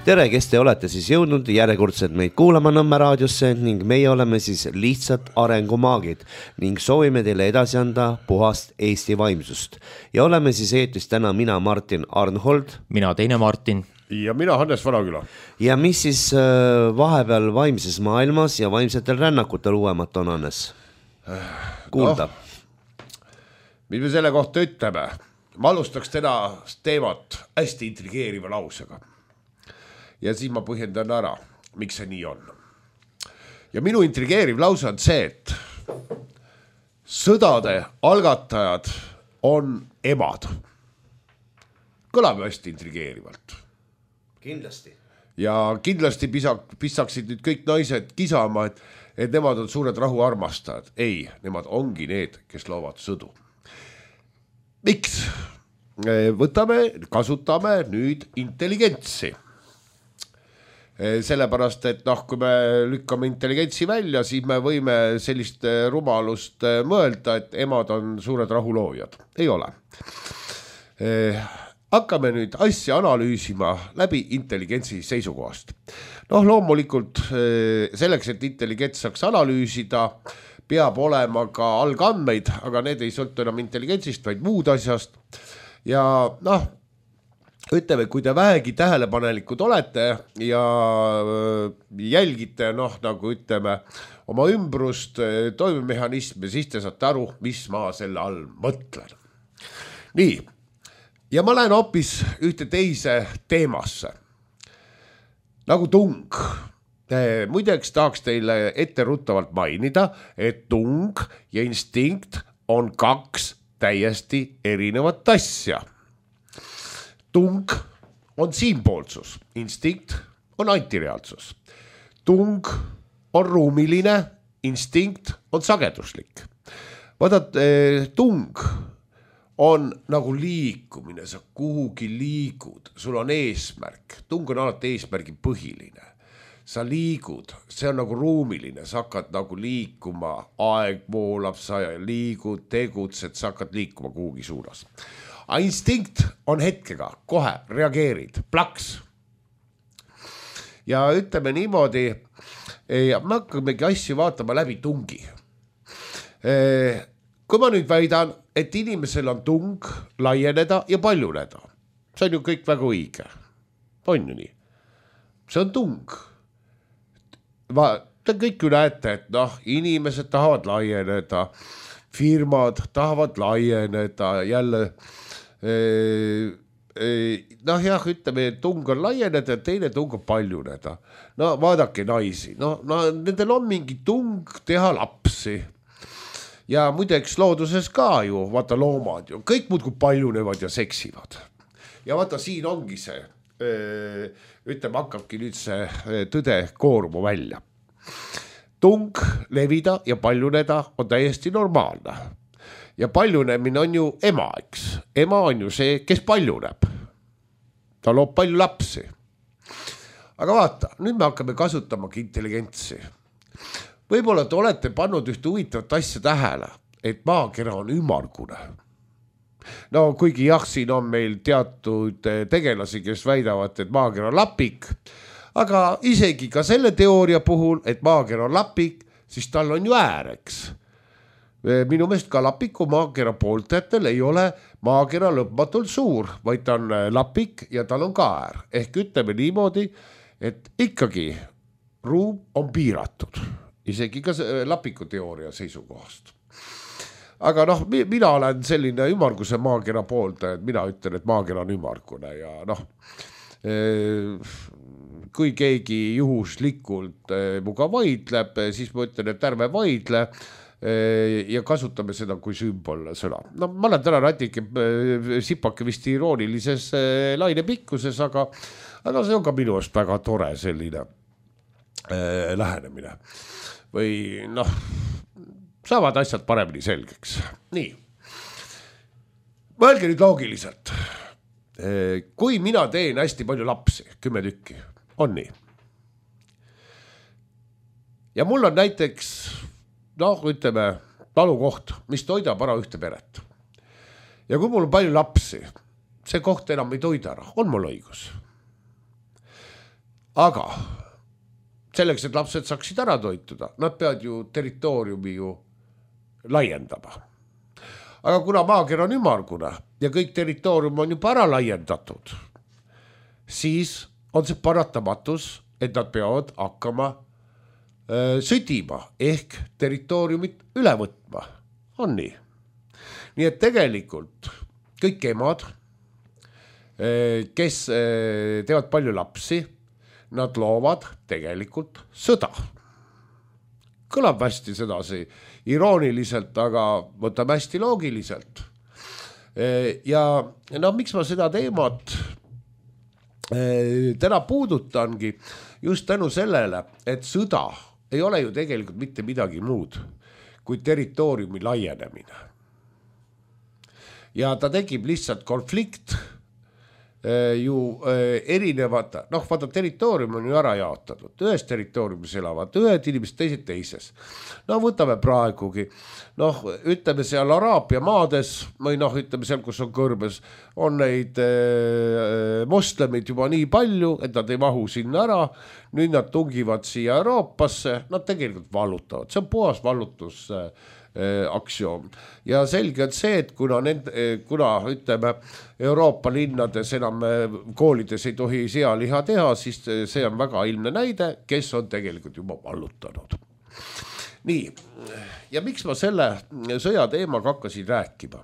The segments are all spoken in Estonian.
Tere, kes te olete siis jõudnud järjekordselt meid kuulama Nõmme raadiosse ning meie oleme siis lihtsalt arengumaagid ning soovime teile edasi anda puhast Eesti vaimsust. Ja oleme siis eetris täna mina Martin Arnhold. Mina teine Martin. Ja mina Hannes Vanaküla. Ja mis siis vahepeal vaimses maailmas ja vaimsetel rännakutel uuemat on, Hannes? Kuulda. Mis me selle kohta ütleme? Ma alustaks täna teemat hästi intrigeeriva lausega. Ja siis ma põhjendan ära, miks see nii on. Ja minu intrigeeriv lause on see, et sõdade algatajad on emad. Kõlab hästi intrigeerivalt. Kindlasti. Ja kindlasti pissaksid nüüd kõik naised kisama, et nemad on suured rahuarmastajad. Ei, nemad ongi need, kes loovad sõdu. Miks? Kasutame nüüd intelligentsi. Sellepärast, et kui me lükkame intelligentsi välja, siis me võime sellist rumalust mõelda, et emad on suured rahuloojad. Ei ole. Hakkame nüüd asja analüüsima läbi intelligentsi seisukohast. Loomulikult selleks, et intelligents saaks analüüsida, peab olema ka algandmeid, aga need ei sõltu enam intelligentsist, vaid muud asjast. Ja ütleme, kui te vähegi tähelepanelikud olete ja jälgite, nagu ütleme, oma ümbrust toimemehhanismi, siis te saate aru, mis ma selle all mõtlen. Nii, ja ma lähen hoopis ühte teise teemasse. Nagu tung. Muideks tahaks teile etteruttavalt mainida, et tung ja instinkt on kaks täiesti erinevat asja. Tung on siinpoolsus, instinkt on antireaalsus. Tung on ruumiline, instinkt on sageduslik. Vaadad, tung on nagu liikumine, sa kuhugi liigud, sul on eesmärk. Tung on alati eesmärgi põhiline. Sa liigud, see on nagu ruumiline, sa hakkad nagu liikuma, aeg voolab, sa liigud, tegutsed, sa hakkad liikuma kuhugi suunas. A instinkt on hetkega, kohe reageerid, plaks. Ja ütleme niimoodi, me hakkamegi asju vaatama läbi tungi. Kui ma nüüd väidan, et inimesel on tung laieneda ja paljuneda, see on ju kõik väga õige. On ju nii? See on tung. Te kõik ju näete, et inimesed tahavad laieneda, firmad tahavad laieneda, jälle ütleme, tung on laieneda ja teine tung on paljuneda. Vaadake naisi, nendel on mingi tung teha lapsi. Ja muideks looduses ka ju, vaata loomad ju, kõik muudkui paljunevad ja seksivad. Ja vaata siin ongi see, ütleme, hakkabki nüüd see tõde koormu välja. Tung levida ja paljuneda on täiesti normaalne. Ja paljunemine on ju ema, eks. Ema on ju see, kes paljuneb. Ta loob palju lapsi. Aga vaata, nüüd me hakkame kasutamagi intelligentsi. Võib-olla te olete pannud ühte huvitavat asja tähele, et maakera on ümmargune. Kuigi siin on meil teatud tegelasi, kes väidavad, et maakera on lapik, aga isegi ka selle teooria puhul, et maakera on lapik, siis tal on ju ääreks. Minu meelest ka lapiku maakera pooltajatel ei ole maakera lõpmatult suur, vaid ta on lapik ja tal on ka äär. Ehk ütleme niimoodi, et ikkagi ruum on piiratud, isegi ka lapiku teooria seisukohast. Aga mina olen selline ümmarguse maakera pooltaja, et mina ütlen, et maakera on ümmargune ja kui keegi juhuslikult muga vaidleb, siis ma ütlen, et ärme vaidle ja kasutame seda kui sümbol sõna. Ma olen täna natuke sipake vist iroonilises laine pikkuses, aga see on ka minu eest väga tore selline lähenemine. Või saavad asjad paremini selgeks. Nii. Mõelge nüüd loogiliselt. Kui mina teen hästi palju lapsi, 10 tükki, on nii. Ja mul on näiteks ütleme, talukoht, mis toidab ära ühte peret. Ja kui mul on palju lapsi, see koht enam ei toida ära, on mul õigus. aga selleks, et lapsed saaksid ära toituda, nad peavad ju territooriumi ju laiendama. Aga kuna maaker on ümmargune ja kõik territoorium on juba ära laiendatud, siis on see paratamatus, et nad peavad hakkama südima ehk territooriumit üle võtma. On nii. Nii et tegelikult kõik emad, kes teevad palju lapsi, nad loovad tegelikult sõda. Kõlab hästi sedasi irooniliselt, aga võtame hästi loogiliselt. Ja no miks ma seda teemat täna puudutangi just tänu sellele, et sõda ei ole ju tegelikult mitte midagi muud kui territooriumi laienemine. Ja ta tekib lihtsalt konflikt ju erinevad, vaata territoorium on ju ära jaotatud, ühes territooriumis elavad ühed inimesed, teised teises. Võtame praegugi, ütleme seal Araabia maades või ütleme seal, kus on kõrbes, on neid moslemid juba nii palju, et nad ei mahu sinna ära, nüüd nad tungivad siia Euroopasse, nad tegelikult vallutavad, see on puhas vallutus aktsioon. Ja selge on see, et kuna ütleme Euroopa linnades enam koolides ei tohi sealiha teha, siis see on väga ilmne näide, kes on tegelikult juba vallutanud. Nii, ja miks ma selle sõja teemaga hakkasin rääkima?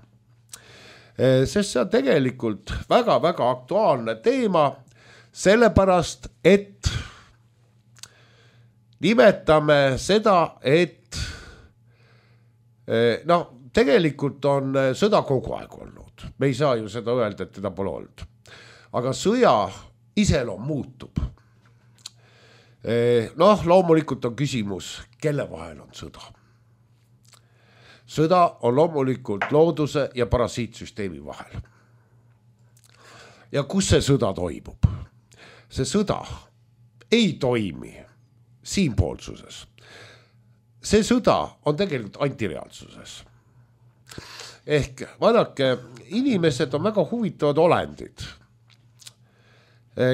Sest see on tegelikult väga-väga aktuaalne teema, sellepärast, et nimetame seda, et tegelikult on sõda kogu aeg olnud. Me ei saa ju seda öelda, et teda pole olnud. Aga sõja iseloom muutub. Loomulikult on küsimus, kelle vahel on sõda. Sõda on loomulikult looduse ja parasiitsüsteemi vahel. Ja kus see sõda toimub? See sõda ei toimi siinpoolsuses. See sõda on tegelikult antireaalsuses. Ehk vaadake, inimesed on väga huvitavad olendid.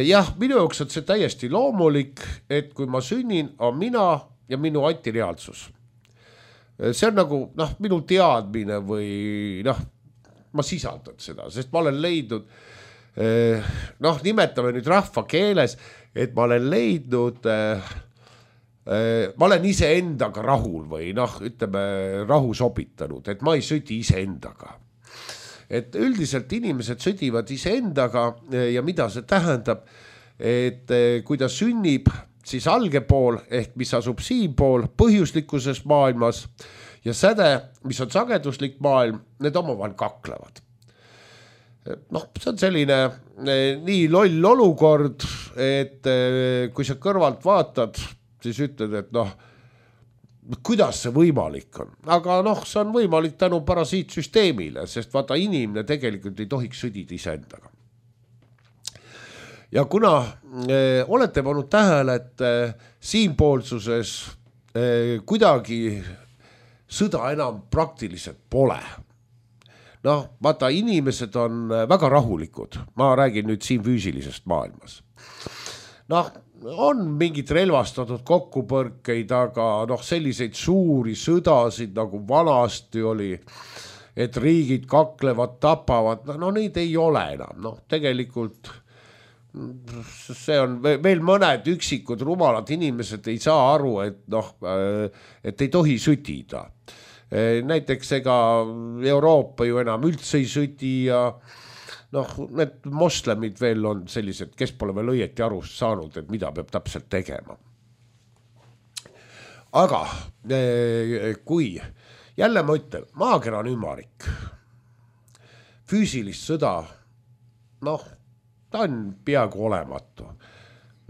Jah, minu jaoks on see täiesti loomulik, et kui ma sünnin, on mina ja minu antireaalsus. See on nagu minu teadmine või ma sisaldan seda, sest ma olen leidnud, nimetame nüüd rahva keeles, et ma olen leidnud ma olen ise endaga rahul või ütleme rahu sobitanud, et ma ei sõdi ise endaga. Et üldiselt inimesed sõdivad ise endaga ja mida see tähendab, et kui ta sünnib, siis alge pool ehk mis asub siin pool põhjuslikuses maailmas ja säde, mis on sageduslik maailm, need omavahel kaklevad. See on selline nii loll olukord, et kui sa kõrvalt vaatad, siis ütled, et kuidas see võimalik on. Aga see on võimalik tänu parasiitsüsteemile, sest vaata inimene tegelikult ei tohiks sõdida iseendaga. Ja kuna olete pannud tähele, et siinpoolsuses kuidagi sõda enam praktiliselt pole. Vaata inimesed on väga rahulikud, ma räägin nüüd siin füüsilisest maailmas. On mingid relvastatud kokkupõrkeid, aga selliseid suuri sõdasid nagu vanasti oli, et riigid kaklevad, tapavad, neid ei ole enam. Tegelikult see on veel mõned üksikud rumalad inimesed ei saa aru, et ei tohi sütida. Näiteks ega Euroopa ju enam üldse ei süti ja need moslemid veel on sellised, kes pole veel õieti aru saanud, et mida peab täpselt tegema. Aga kui jälle ma ütlen, maakera on ümarik, füüsilist sõda, ta on peaaegu olematu.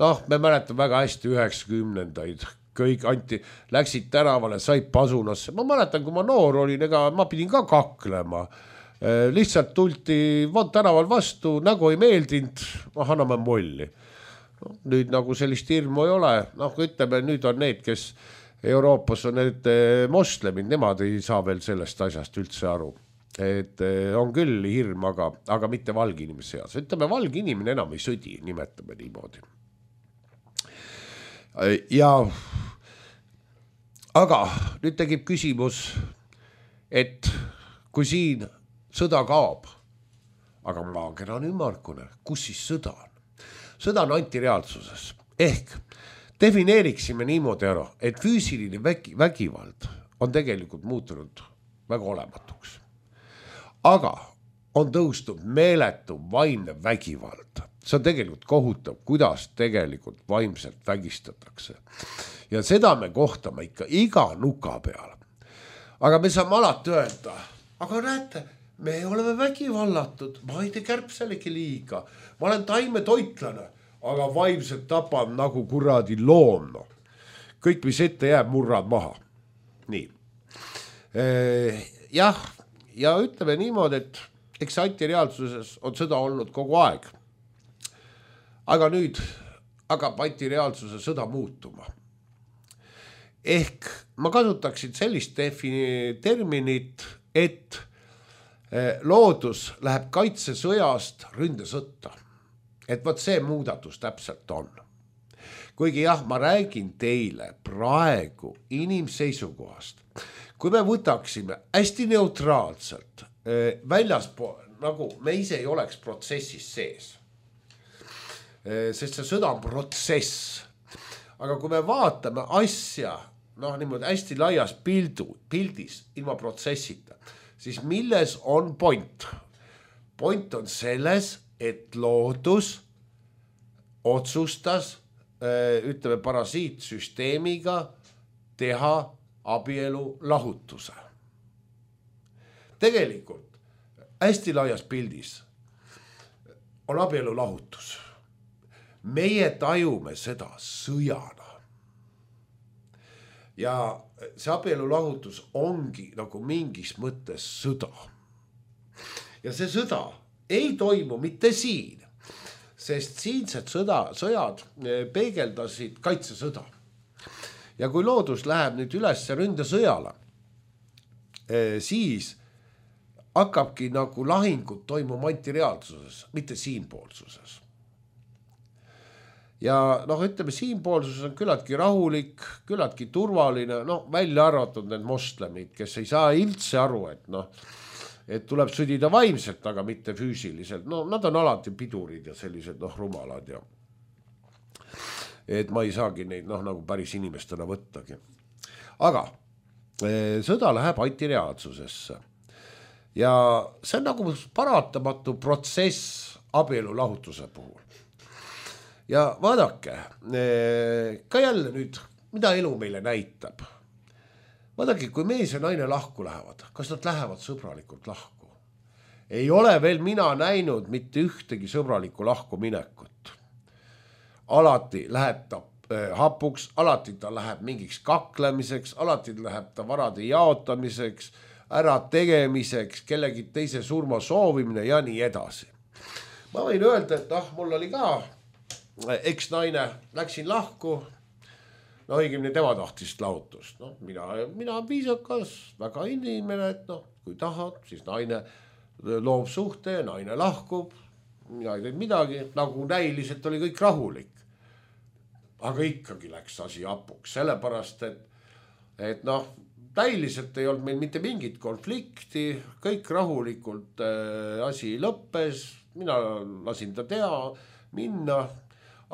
Me mäletame väga hästi 90-ndaid, kõik läksid tänavale, said pasunasse. Ma mäletan, kui ma noor olin, ma pidin ka kaklema. Lihtsalt tulti tänaval vastu, nägu ei meeldinud, anname molli. Nüüd nagu sellist hirmu ei ole. Ütleme, nüüd on need, kes Euroopas on need moslemid, nemad ei saa veel sellest asjast üldse aru. Et on küll hirm, aga mitte valge inimese seas. Ütleme, valge inimene enam ei sõdi, nimetame niimoodi. ja aga nüüd tegib küsimus, et kui siin sõda kaob, aga maakera on ümmargune, kus siis sõda on? Sõda on antireaalsuses ehk defineeriksime niimoodi ära, et füüsiline vägivald on tegelikult muutunud väga olematuks. Aga on tõusnud meeletu vaimne vägivald. See on tegelikult kohutav, kuidas tegelikult vaimselt vägistatakse. Ja seda me kohtame ikka iga nuka peal. Aga me saame alati öelda, aga näete, me oleme vägivallatud, ma ei tee kärbselegi liiga, ma olen taimetoitlane, aga vaimselt tapan nagu kuradi loom. Kõik, mis ette jääb, murrad maha. Nii. Jah, ja ütleme niimoodi, et eks antireaalsuses on sõda olnud kogu aeg. Aga nüüd hakkab antireaalsuse sõda muutuma. Ehk ma kasutaksin sellist terminit, et loodus läheb kaitsesõjast ründesõtta. Et võt see muudatus täpselt on. Kuigi jah, ma räägin teile praegu inimseisukohast. Kui me võtaksime hästi neutraalselt väljaspool, nagu me ise ei oleks protsessis sees. Sest see sõda on protsess. Aga kui me vaatame asja niimoodi hästi laias pildis ilma protsessita, siis milles on point? Point on selles, et loodus otsustas, ütleme parasiitsüsteemiga teha abielu lahutuse. Tegelikult hästi laias pildis on abielu lahutus. Meie tajume seda sõjana. Ja see abielu lahutus ongi nagu mingis mõttes sõda. Ja see sõda ei toimu mitte siin, sest siinsed sõjad peegeldasid kaitsesõda. Ja kui loodus läheb nüüd üles ründesõjale, siis hakkabki nagu lahingud toimuma antireaalsuses, mitte siinpoolsuses. Ja ütleme, siinpoolsuses on küllaltki rahulik, küllaltki turvaline, välja arvatud need moslemid, kes ei saa üldse aru, et tuleb sõdida vaimselt, aga mitte füüsiliselt. Nad on alati pidurid ja sellised rumalad ja et ma ei saagi neid nagu päris inimestena võttagi. Aga sõda läheb antireaalsusesse ja see on nagu paratamatu protsess abielu lahutuse puhul. Ja vaadake, ka jälle nüüd, mida elu meile näitab. Vaadake, kui mees ja naine lahku lähevad, kas nad lähevad sõbralikult lahku? Ei ole veel mina näinud mitte ühtegi sõbralikku lahku minekut. Alati läheb ta hapuks, alati ta läheb mingiks kaklemiseks, alati läheb ta varade jaotamiseks, ära tegemiseks, kellegi teise surma soovimine ja nii edasi. Ma võin öelda, et mul oli ka eks-naine, läksin lahku, õigemini tema tahtis lahutust. Mina viisakas, väga inimene, et kui tahad, siis naine loob suhte ja naine lahkub. Mina ei teinud midagi, nagu näiliselt oli kõik rahulik. Aga ikkagi läks asi hapuks, sellepärast, et näiliselt ei olnud meil mitte mingit konflikti, kõik rahulikult asi lõppes, mina lasin ta minna.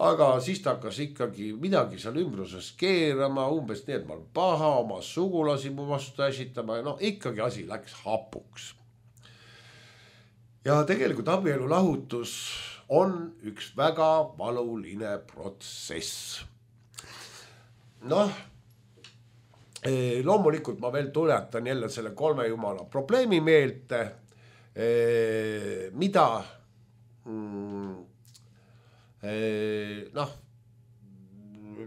Aga siis ta hakkas ikkagi midagi seal ümbruses keerama, umbes nii, et ma olen paha, oma sugulasi mu vastu äsitama ja ikkagi asi läks hapuks. Ja tegelikult abielu lahutus on üks väga valuline protsess. Loomulikult ma veel tuletan jälle selle 3 jumala probleemi meelde, mida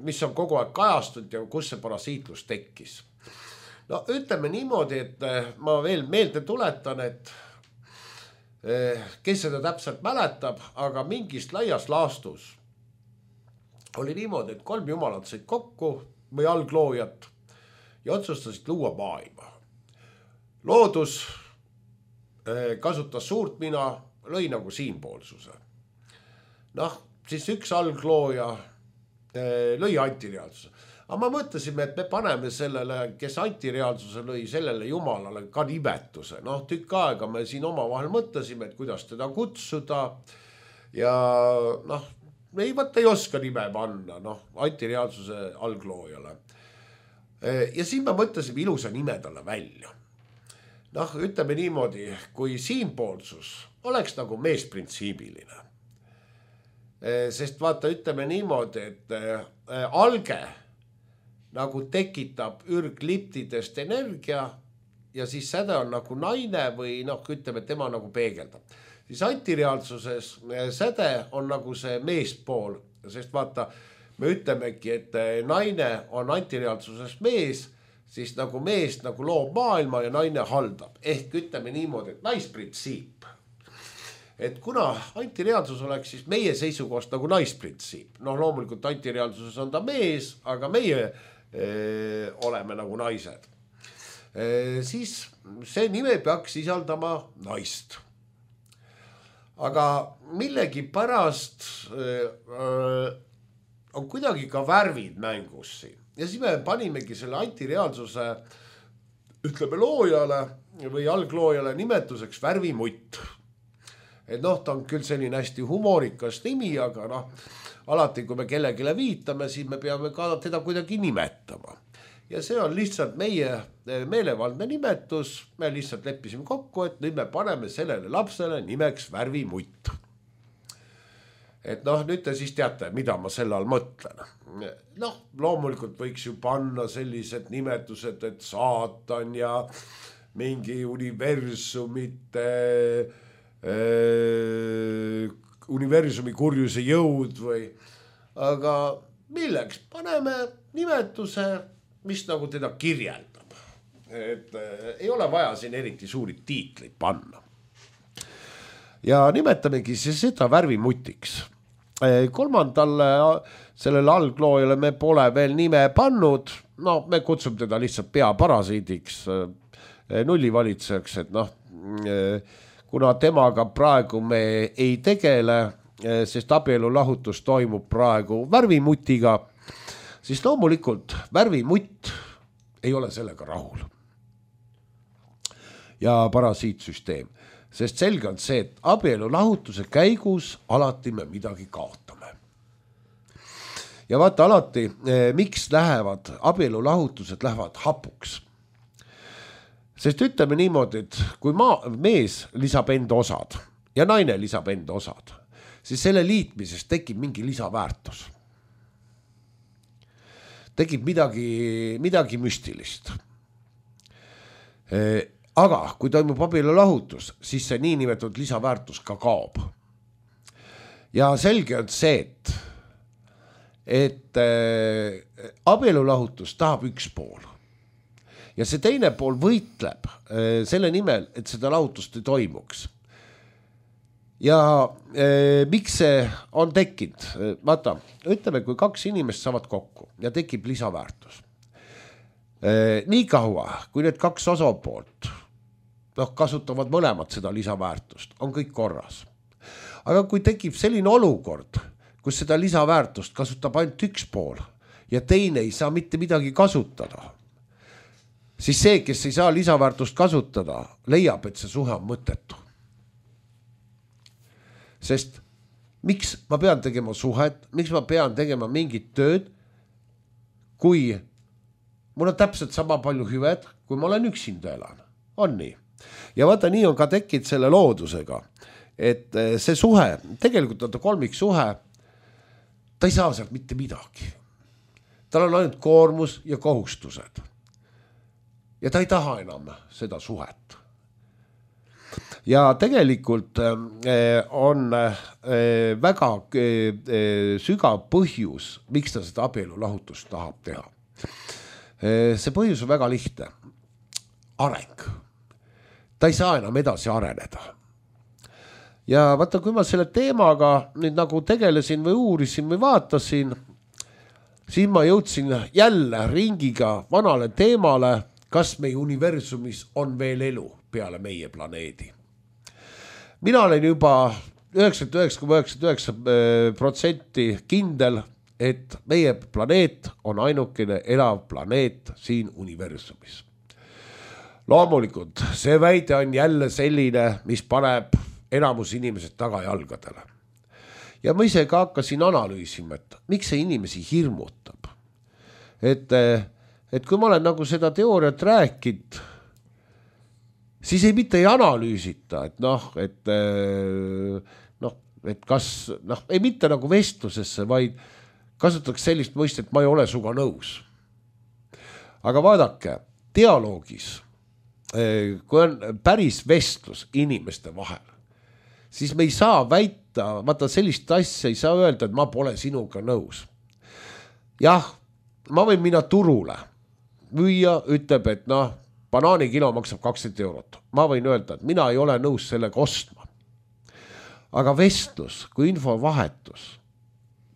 mis on kogu aeg kajastunud ja kus see parasiitlus tekkis. Ütleme niimoodi, et ma veel meelde tuletan, et kes seda täpselt mäletab, aga mingist laias laastus oli niimoodi, et 3 jumalat said kokku või algloojat ja otsustasid luua maailma. Loodus kasutas suurt mina, lõi nagu siinpoolsuse. Siis üks alglooja lõi antireaalsuse. Aga ma mõtlesime, et me paneme sellele, kes antireaalsuse lõi, sellele jumalale ka nimetuse. Noh, tükk aega me siin omavahel mõtlesime, et kuidas teda kutsuda ja noh, ei oska nime panna, noh, antireaalsuse algloojale. Ja siin me mõtlesime ilusa nime talle välja. Noh, ütleme niimoodi, kui siinpoolsus oleks nagu meesprintsiibiline. Sest vaata, ütleme niimoodi, et alge nagu tekitab ürgliptidest energia ja siis säde on nagu naine või noh, ütleme, et tema nagu peegeldab. Siis antireaalsuses säde on nagu see meespool, sest vaata, me ütlemegi, et naine on antireaalsuses mees, siis nagu mees nagu loob maailma ja naine haldab. Ehk ütleme niimoodi, et naisprintsiip. Et kuna antireaalsus oleks siis meie seisukohast nagu naisprintsiip. Noh, loomulikult antireaalsuses on ta mees, aga meie oleme nagu naised. Siis see nime peaks sisaldama naist. Aga millegi pärast on kuidagi ka värvid mängus siin. Ja siis me panimegi selle antireaalsuse, ütleme loojale või algloojale nimetuseks värvimutt. Et noh, ta on küll selline hästi humorikas nimi, aga noh, alati kui me kellegile viitame, siis me peame ka teda kuidagi nimetama. Ja see on lihtsalt meie meelevaldne nimetus, me lihtsalt leppisime kokku, et nüüd me paneme sellele lapsele nimeks värvimutt. Et noh, nüüd te siis teate, mida ma selle all mõtlen. Noh, loomulikult võiks ju panna sellised nimetused, et saatan ja mingi universumi kurjuse jõud või, aga milleks? Paneme nimetuse, mis nagu teda kirjeldab. Et ei ole vaja siin eriti suuri tiitleid panna. Ja nimetamegi siis seda värvimutiks. Kolmandale sellele algloojale me pole veel nime pannud, no me kutsume teda lihtsalt peaparasiidiks, nullivalitsejaks, et noh, kuna temaga praegu me ei tegele, sest abielulahutus toimub praegu värvimutiga, siis loomulikult värvimutt ei ole sellega rahul. Ja parasiitsüsteem. Sest selge on see, et abielulahutuse käigus alati me midagi kaotame. Ja vaata alati, miks lähevad abielulahutused lähevad hapuks. Sest ütleme niimoodi, et kui mees lisab enda osad ja naine lisab enda osad, siis selle liitmises tekib mingi lisaväärtus. Tekib midagi müstilist. Aga kui toimub abielulahutus, siis see niinimetatud lisaväärtus ka kaob. Ja selge on see, et abielulahutus tahab üks pool. Ja see teine pool võitleb selle nimel, et seda lahutust ei toimuks. Ja miks see on tekkinud? Vaata, ütleme, kui kaks inimest saavad kokku ja tekib lisaväärtus. Nii kaua, kui need kaks osapoolt kasutavad mõlemad seda lisaväärtust, on kõik korras. Aga kui tekib selline olukord, kus seda lisaväärtust kasutab ainult üks pool ja teine ei saa mitte midagi kasutada, siis see, kes ei saa lisaväärtust kasutada, leiab, et see suhe on mõttetu. Sest miks ma pean tegema suhet, miks ma pean tegema mingit tööd, kui mul on täpselt sama palju hüved, kui ma olen üksinda elan. On nii. Ja vaata, nii on ka tekkinud selle loodusega, et see suhe, tegelikult on ta kolmiksuhe, ta ei saa sealt mitte midagi. Tal on ainult koormus ja kohustused. Ja ta ei taha enam seda suhet. Ja tegelikult on väga sügav põhjus, miks ta seda abielulahutust tahab teha. See põhjus on väga lihtne. Areng. Ta ei saa enam edasi areneda. Ja vaata, kui ma selle teemaga nüüd nagu tegelesin või uurisin või vaatasin, siis ma jõudsin jälle ringiga vanale teemale, kas meie universumis on veel elu peale meie planeedi. Mina olen juba 99,99% kindel, et meie planeet on ainukene elav planeet siin universumis. Loomulikult see väide on jälle selline, mis paneb enamus inimesed tagajalgadele. Ja ma ise ka hakkasin analüüsima, et miks see inimesi hirmutab. Et kui ma olen nagu seda teooriat rääkinud, siis mitte ei analüüsita, et kas, ei mitte nagu vestlusesse, vaid kasutaks sellist mõistet, ma ei ole suga nõus. Aga vaadake, dialoogis, kui on päris vestlus inimeste vahel, siis me ei saa väita, vaata sellist asja ei saa öelda, et ma pole sinuga nõus. Jah, ma võin minna turule. Müüja ütleb, et banaanikilo maksab 20 €. Ma võin öelda, et mina ei ole nõus sellega ostma. Aga vestlus, kui infovahetus,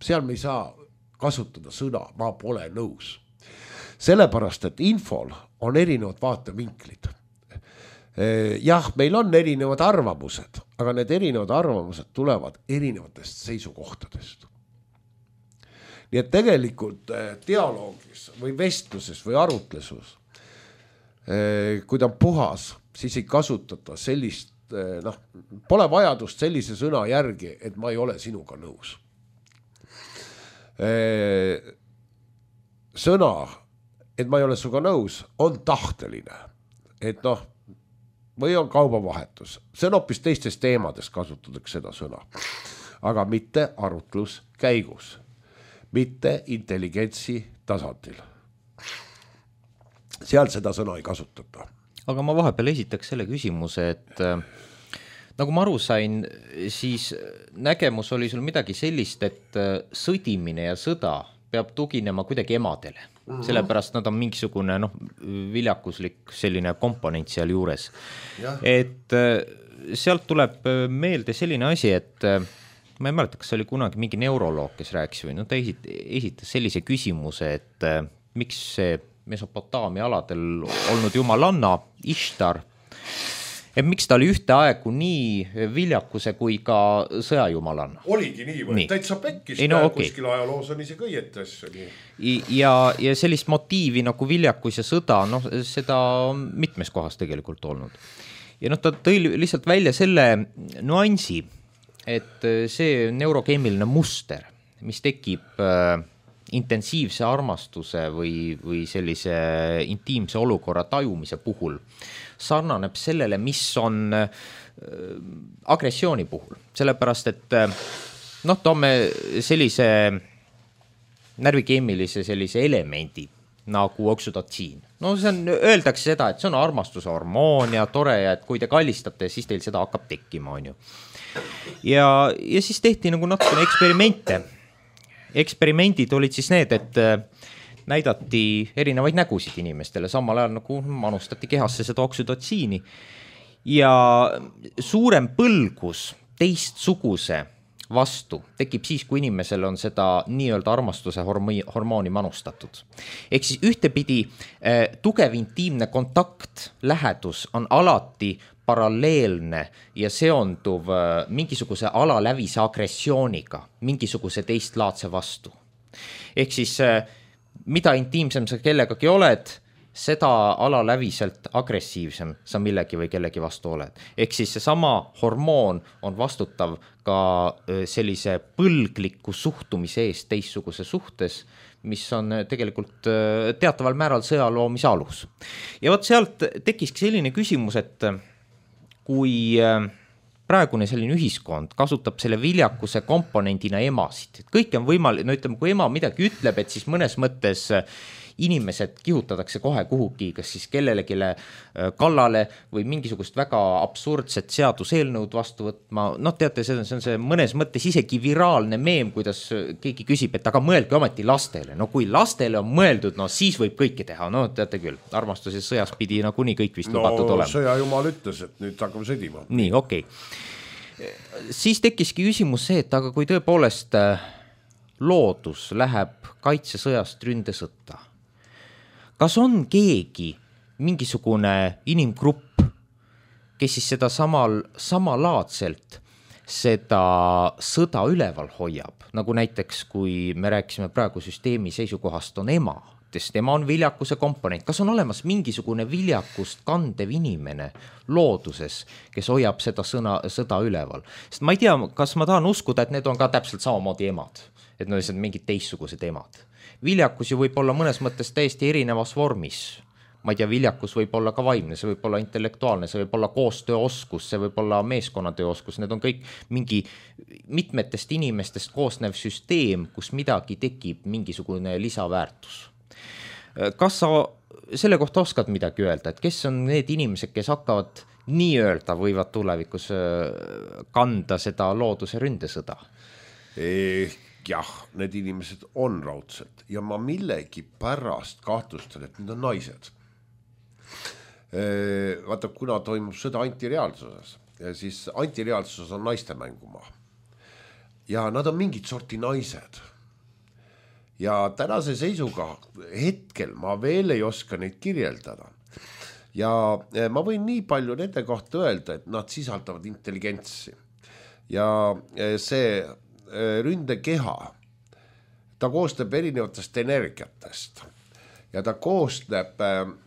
seal me ei saa kasutada sõna, ma pole nõus. Sellepärast, et infol on erinevad vaatevinklid. Jah, meil on erinevad arvamused, aga need erinevad arvamused tulevad erinevatest seisukohtadest. Nii et tegelikult dialoogis või vestluses või arutlesus, kui ta on puhas, siis ei kasutata sellist, pole vajadust sellise sõna järgi, et ma ei ole sinuga nõus. Sõna, et ma ei ole sinuga nõus, on tahteline, et või on kaubavahetus. See on hoopis teistes teemades kasutatakse seda sõna. Aga mitte arutlus käigus. Mitte intelligentsi tasandil. Seal seda sõna ei kasutata. Aga ma vahepeal esitaks selle küsimuse, et nagu ma aru sain, siis nägemus oli sul midagi sellist, et sõdimine ja sõda peab tuginema kuidagi emadele. Sellepärast nad on mingisugune viljakuslik selline komponent seal juures. Ja. Et sealt tuleb meelde selline asi, et ma ei mäleta, kas oli kunagi mingi neuroloog, kes rääkis või ta esitas sellise küsimuse, et miks see Mesopotaamia aladel olnud jumalanna Ishtar, et miks ta oli ühteaegu nii viljakuse kui ka sõjajumalanna. Oligi nii või? Täitsa pekkis, kuskil ajaloos on isegi õietes. Ja sellist motiivi nagu viljakus ja sõda, seda on mitmes kohas tegelikult olnud. Ja ta tõi lihtsalt välja selle nuansi, et see neurokeemiline muster, mis tekib intensiivse armastuse või sellise intiimse olukorra tajumise puhul, sarnaneb sellele, mis on agressiooni puhul. Sellepärast, et toome sellise närvikeemilise sellise elemendi nagu oksüdotsiin. Öeldakse seda, et see on armastuse hormoon ja tore, et kui te kallistate, siis teil seda hakkab tekkima, on ju. Ja siis tehti nagu natukene eksperimente. Eksperimendid olid siis need, et näidati erinevaid nägusid inimestele, samal ajal nagu manustati kehasse seda oksüdotsiini ja suurem põlgus teistsuguse vastu tekib siis, kui inimesel on seda nii-öelda armastuse hormooni manustatud. Ehk siis ühtepidi tugev intiimne kontakt, lähedus on alati paralleelne ja seonduv mingisuguse alalävise agressiooniga, mingisuguse teistlaadse vastu. Ehk siis mida intiimsem sa kellegagi oled, seda alaläviselt agressiivsem sa millegi või kellegi vastu oled. Ehk siis see sama hormoon on vastutav ka sellise põlgliku suhtumise eest teistsuguse suhtes, mis on tegelikult teataval määral sõjaloomise alus. Ja võt sealt tekiski selline küsimus, et kui praegune selline ühiskond kasutab selle viljakuse komponendina emasid, et kõik on võimalik, ütleme, kui ema midagi ütleb, et siis mõnes mõttes inimesed kihutatakse kohe kuhugi, kas siis kellelegile kallale või mingisugust väga absurdset seaduseelnõud vastu võtma. Teate, see on see mõnes mõttes isegi viraalne meem, kuidas keegi küsib, et aga mõelge ometi lastele. Kui lastele on mõeldud, siis võib kõike teha. Teate küll, armastuses sõjas pidi kuni kõik vist lubatud olema. Sõjajumal ütles, et nüüd hakkame sõdima. Nii, okei. Siis tekkiski küsimus see, et aga kui tõepoolest loodus läheb kaitsesõjast ründesõtta, kas on keegi, mingisugune inimgrupp, kes siis seda samalaadselt seda sõda üleval hoiab, nagu näiteks kui me rääkisime praegu süsteemi seisukohast on ema, sest ema on viljakuse komponent. Kas on olemas mingisugune viljakust kandev inimene looduses, kes hoiab seda sõda üleval? Sest ma ei tea, kas ma tahan uskuda, et need on ka täpselt samamoodi emad, et need on mingid teistsugused emad. Viljakus ju võib olla mõnes mõttes täiesti erinevas vormis. Ma ei tea, viljakus võib olla ka vaimne, see võib olla intellektuaalne, see võib olla koostööoskus, see võib olla meeskonnatööoskus, need on kõik mingi mitmetest inimestest koosnev süsteem, kus midagi tekib, mingisugune lisaväärtus. Kas sa selle kohta oskad midagi öelda, et kes on need inimesed, kes hakkavad nii-öelda võivad tulevikus kanda seda looduse ründesõda? Jah, need inimesed on raudselt ja ma millegi pärast kahtlustan, et need on naised. Vaata, kuna toimub sõda antireaalsuses, siis antireaalsuses on naiste mängumaa. Ja nad on mingid sorti naised. Ja tänase seisuga hetkel ma veel ei oska neid kirjeldada. Ja ma võin nii palju nende kohta öelda, et nad sisaldavad intelligentsi. Ja see ründekeha, ta koostab erinevatest energiatest. Ja ta koostab,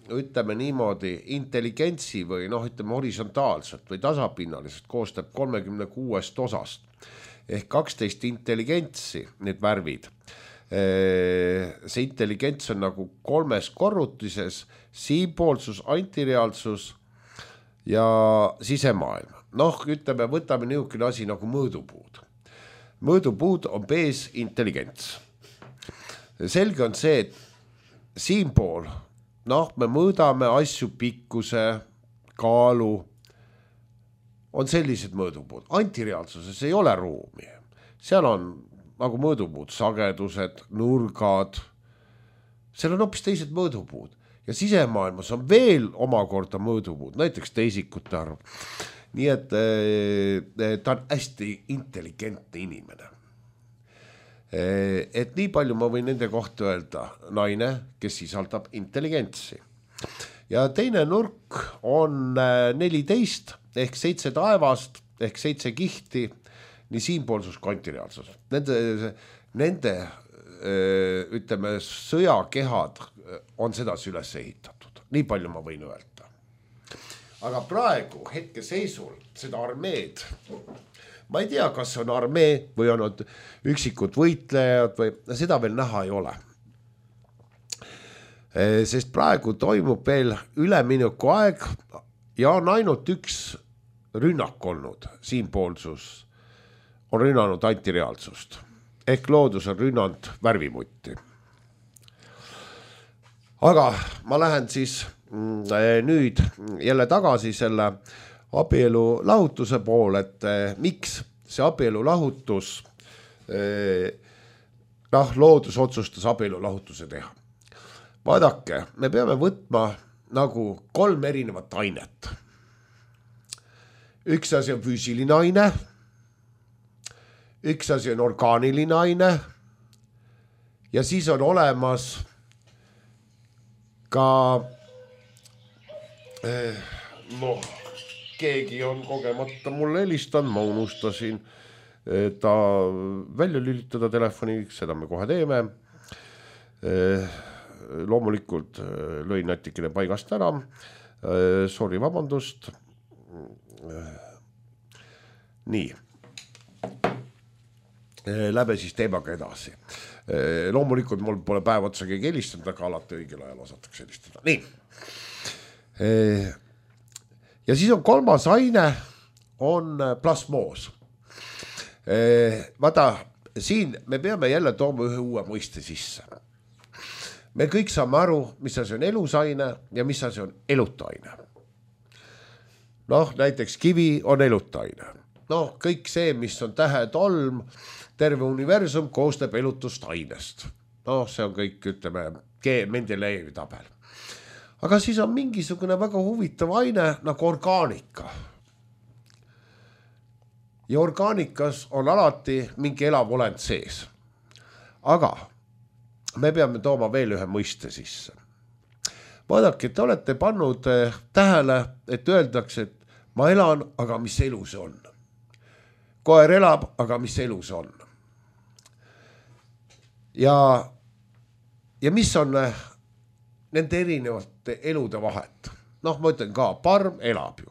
ütleme niimoodi, intelligentsi või ütleme horisontaalselt või tasapinnaliselt koostab 36 osast ehk 12 intelligentsi, need värvid. See intelligents on nagu 3 korrutises, siinpoolsus, antireaalsus ja sisemaailm. Ütleme, võtame niisugune asi nagu mõõdupuud. Mõõdupuud on bees intelligents. Selge on see, et siinpool, me mõõdame asju pikkuse, kaalu, on sellised mõõdupuud. Antireaalsuses ei ole ruumi. Seal on nagu mõõdupuud, sagedused, nurgad, seal on hoopis teised mõõdupuud. Ja sisemaailmas on veel omakorda mõõdupuud, näiteks teisikute arv. Nii et ta on hästi intelligentne inimene. Et nii palju ma võin nende kohta öelda, naine, kes sisaldab intelligentsi. Ja teine nurk on 14 ehk 7 taevast ehk 7 kihti, nii siinpoolsus kui antireaalsus. Nende ütleme, sõjakehad on sedasi üles ehitatud. Nii palju ma võin öelda. Aga praegu hetke seisul seda armeed, ma ei tea, kas on armee või on üksikud võitlejad või seda veel näha ei ole. Sest praegu toimub veel ülemineku aeg ja on ainult üks rünnak olnud. Siinpoolsus on rünnanud antireaalsust. Ehk loodus on rünnanud värvimutti. Aga ma lähen siis nüüd jälle tagasi selle abielu lahutuse pool, et miks see abielu lahutus, loodus otsustas abielu lahutuse teha. Vaadake, me peame võtma nagu 3 erinevat ainet. Üks asi on füüsiline aine, üks asi on orgaaniline aine ja siis on olemas ka keegi on kogemata mulle helistanud, ma unustasin ta välja lülitada telefoni, seda me kohe teeme. Loomulikult lõin natikene paigast ära. Sorry, vabandust. Nii. Läbe siis teemaga edasi. Loomulikult mul pole päev otsa keegi helistanud, aga alati õigel ajal osatakse helistada. Nii. Ja siis on 3. aine, on plasmoos. Vaata, siin me peame jälle tooma ühe uue mõiste sisse. Me kõik saame aru, mis asi on elusaine ja mis asi on elutaine. Näiteks kivi on elutaine. Kõik see, mis on tähetolm, terve universum koostab elutust ainest. See on kõik, ütleme, Mendelejevi tabel. Aga siis on mingisugune väga huvitav aine nagu orgaanika. Ja orgaanikas on alati mingi elav olend sees. Aga me peame tooma veel ühe mõiste sisse. Vaadake, te olete pannud tähele, et öeldakse, et ma elan, aga mis elu see on? koer elab, aga mis elu see on? Ja mis on nende erinevate elude vahet? Noh, ma ütlen ka, parm elab ju,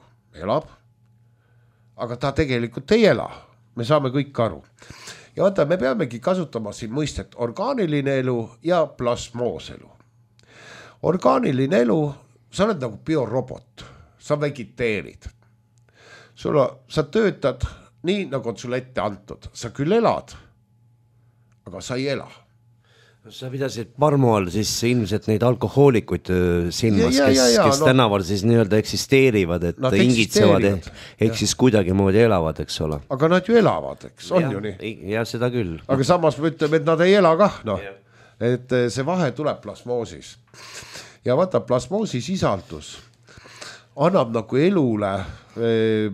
aga ta tegelikult ei ela. Me saame kõik aru. Ja vaata, me peamegi kasutama siin mõistet orgaaniline elu ja plasmooselu. Orgaaniline elu, sa oled nagu biorobot, sa vegiteerid. Sa töötad nii, nagu on sulle ette antud. Sa küll elad, aga sa ei ela. Sa pidasid parmu all siis ilmselt neid alkohoolikuid silmas, kes tänaval siis nii-öelda eksisteerivad, et ingitsevad ehk siis kuidagi moodi elavad, eks ole. Aga nad ju elavad, eks, on ju nii? Ja seda küll. Aga samas me ütleme, et nad ei ela kah, noh. Et see vahe tuleb plasmoosis. Ja vaata, plasmoosi sisaldus annab nagu elule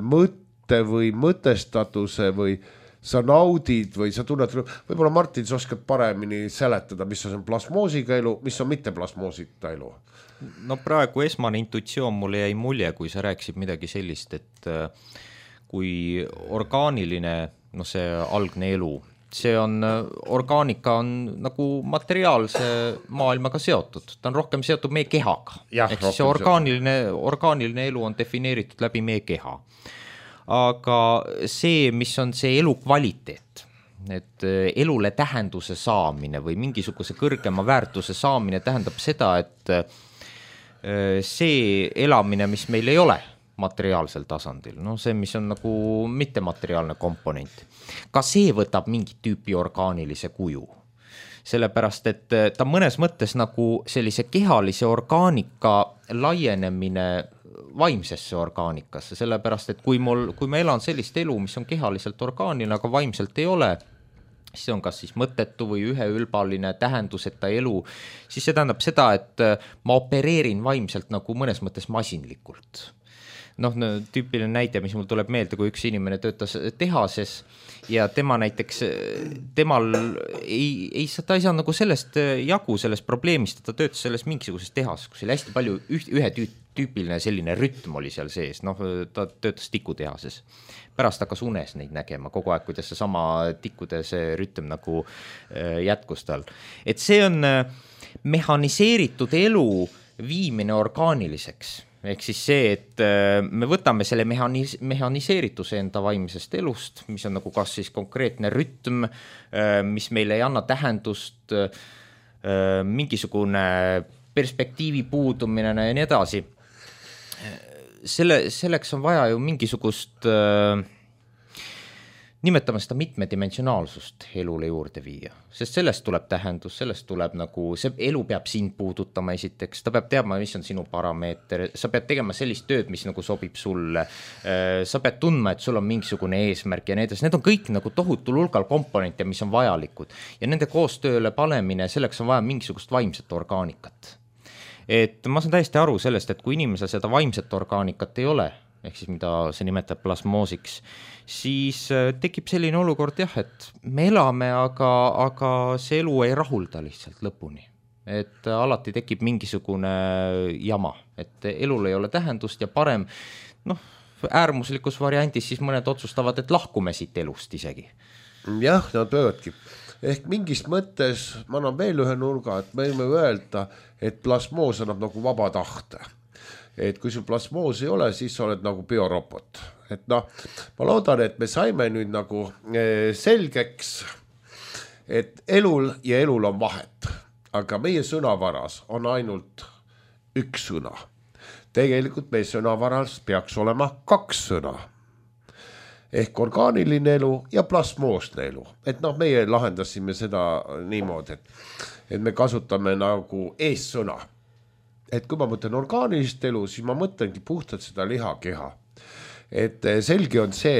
mõtte või mõtestatuse või sa naudid või sa tunned, võib-olla Martin, sa oskad paremini seletada, mis on plasmoosiga elu, mis on mitte plasmoosita elu? No praegu esmane intuitsioon mulle jäi mulje, kui sa rääkisid midagi sellist, et kui orgaaniline, no see algne elu, see on, orgaanika on nagu materiaalse maailmaga seotud, ta on rohkem seotud meie kehaga. Ehk siis see orgaaniline elu on defineeritud läbi meie keha. Aga see, mis on see elu kvaliteet, et elule tähenduse saamine või mingisuguse kõrgema väärtuse saamine tähendab seda, et see elamine, mis meil ei ole materiaalsel tasandil, no see, mis on nagu mittemateriaalne komponent, ka see võtab mingit tüüpi orgaanilise kuju. Sellepärast, et ta mõnes mõttes nagu sellise kehalise orgaanika laienemine vaimsesse orgaanikasse, sellepärast, et kui ma elan sellist elu, mis on kehaliselt orgaaniline, aga vaimselt ei ole, siis on kas siis mõttetu või üheülbaline tähenduseta elu, siis see tähendab seda, et ma opereerin vaimselt nagu mõnes mõttes masinlikult. Noh, tüüpiline näide, mis mul tuleb meelde, kui üks inimene töötas tehases ja tema näiteks, temal ta ei saa nagu sellest jagu, sellest probleemist, et ta töötas selles mingisuguses tehas, kus oli hästi palju ühe tüüpiline selline rütm oli seal sees, noh, ta töötas tikutehases. Pärast hakkas unes neid nägema kogu aeg, kuidas see sama tikkude see rütm nagu jätkus tal. Et see on mehaniseeritud elu viimine orgaaniliseks. Ehk siis see, et me võtame selle mehaniseerituse enda vaimsest elust, mis on nagu kas siis konkreetne rütm, mis meile ei anna tähendust, mingisugune perspektiivi puudumine ja nii edasi. Selleks on vaja ju mingisugust, nimetame seda mitmedimensionaalsust elule juurde viia, sest sellest tuleb tähendus, sellest tuleb nagu, see elu peab sind puudutama esiteks, ta peab teadma, mis on sinu parameeter, sa pead tegema sellist tööd, mis nagu sobib sulle, sa pead tundma, et sul on mingisugune eesmärk ja need on kõik nagu tohutul hulgal komponente, mis on vajalikud ja nende koostööle panemine, selleks on vaja mingisugust vaimset orgaanikat. Et ma saan täiesti aru sellest, et kui inimesel seda vaimset orgaanikat ei ole, ehk siis mida see nimetab plasmoosiks, siis tekib selline olukord jah, et me elame, aga see elu ei rahulda lihtsalt lõpuni. Et alati tekib mingisugune jama, et elul ei ole tähendust ja parem, noh, äärmuslikus variandis siis mõned otsustavad, et lahkume siit elust isegi. Jah, nad võivadki. Ehk mingist mõttes, ma annan veel ühe nurga, et me võime öelda, et plasmoos annab nagu vaba tahte. Et kui sul plasmoos ei ole, siis sa oled nagu biorobot. Et noh, ma loodan, et me saime nüüd nagu selgeks, et elul ja elul on vahet, aga meie sõnavaras on ainult üks sõna. Tegelikult meie sõnavaras peaks olema kaks sõna. Ehk orgaaniline elu ja plasmoosne elu. Et noh, meie lahendasime seda niimoodi, et me kasutame nagu eessõna. Et kui ma mõtlen orgaanilist elu, siis ma mõtlengi puhtalt seda lihakeha. Et selge on see,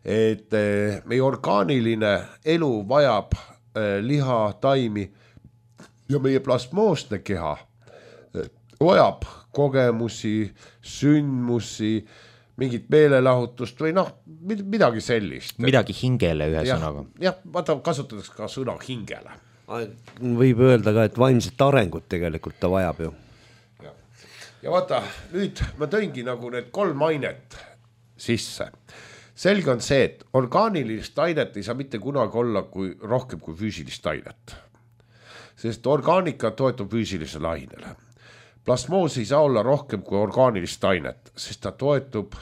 et meie orgaaniline elu vajab liha, taimi ja meie plasmoosne keha vajab kogemusi, sündmusi, mingit meelelahutust või noh, midagi sellist. Midagi hingele ühe sõnaga. Jah, vaata kasutatakse ka sõna hingele. Võib öelda ka, et vaimset arengut tegelikult ta vajab ju. Ja vaata, nüüd ma tõingi nagu need 3 ainet sisse. selge on see, et orgaanilist ainet ei saa mitte kunagi olla rohkem kui füüsilist ainet. Sest orgaanika toetub füüsilisele ainele. Plasmoos ei saa olla rohkem kui orgaanilist ainet, sest ta toetub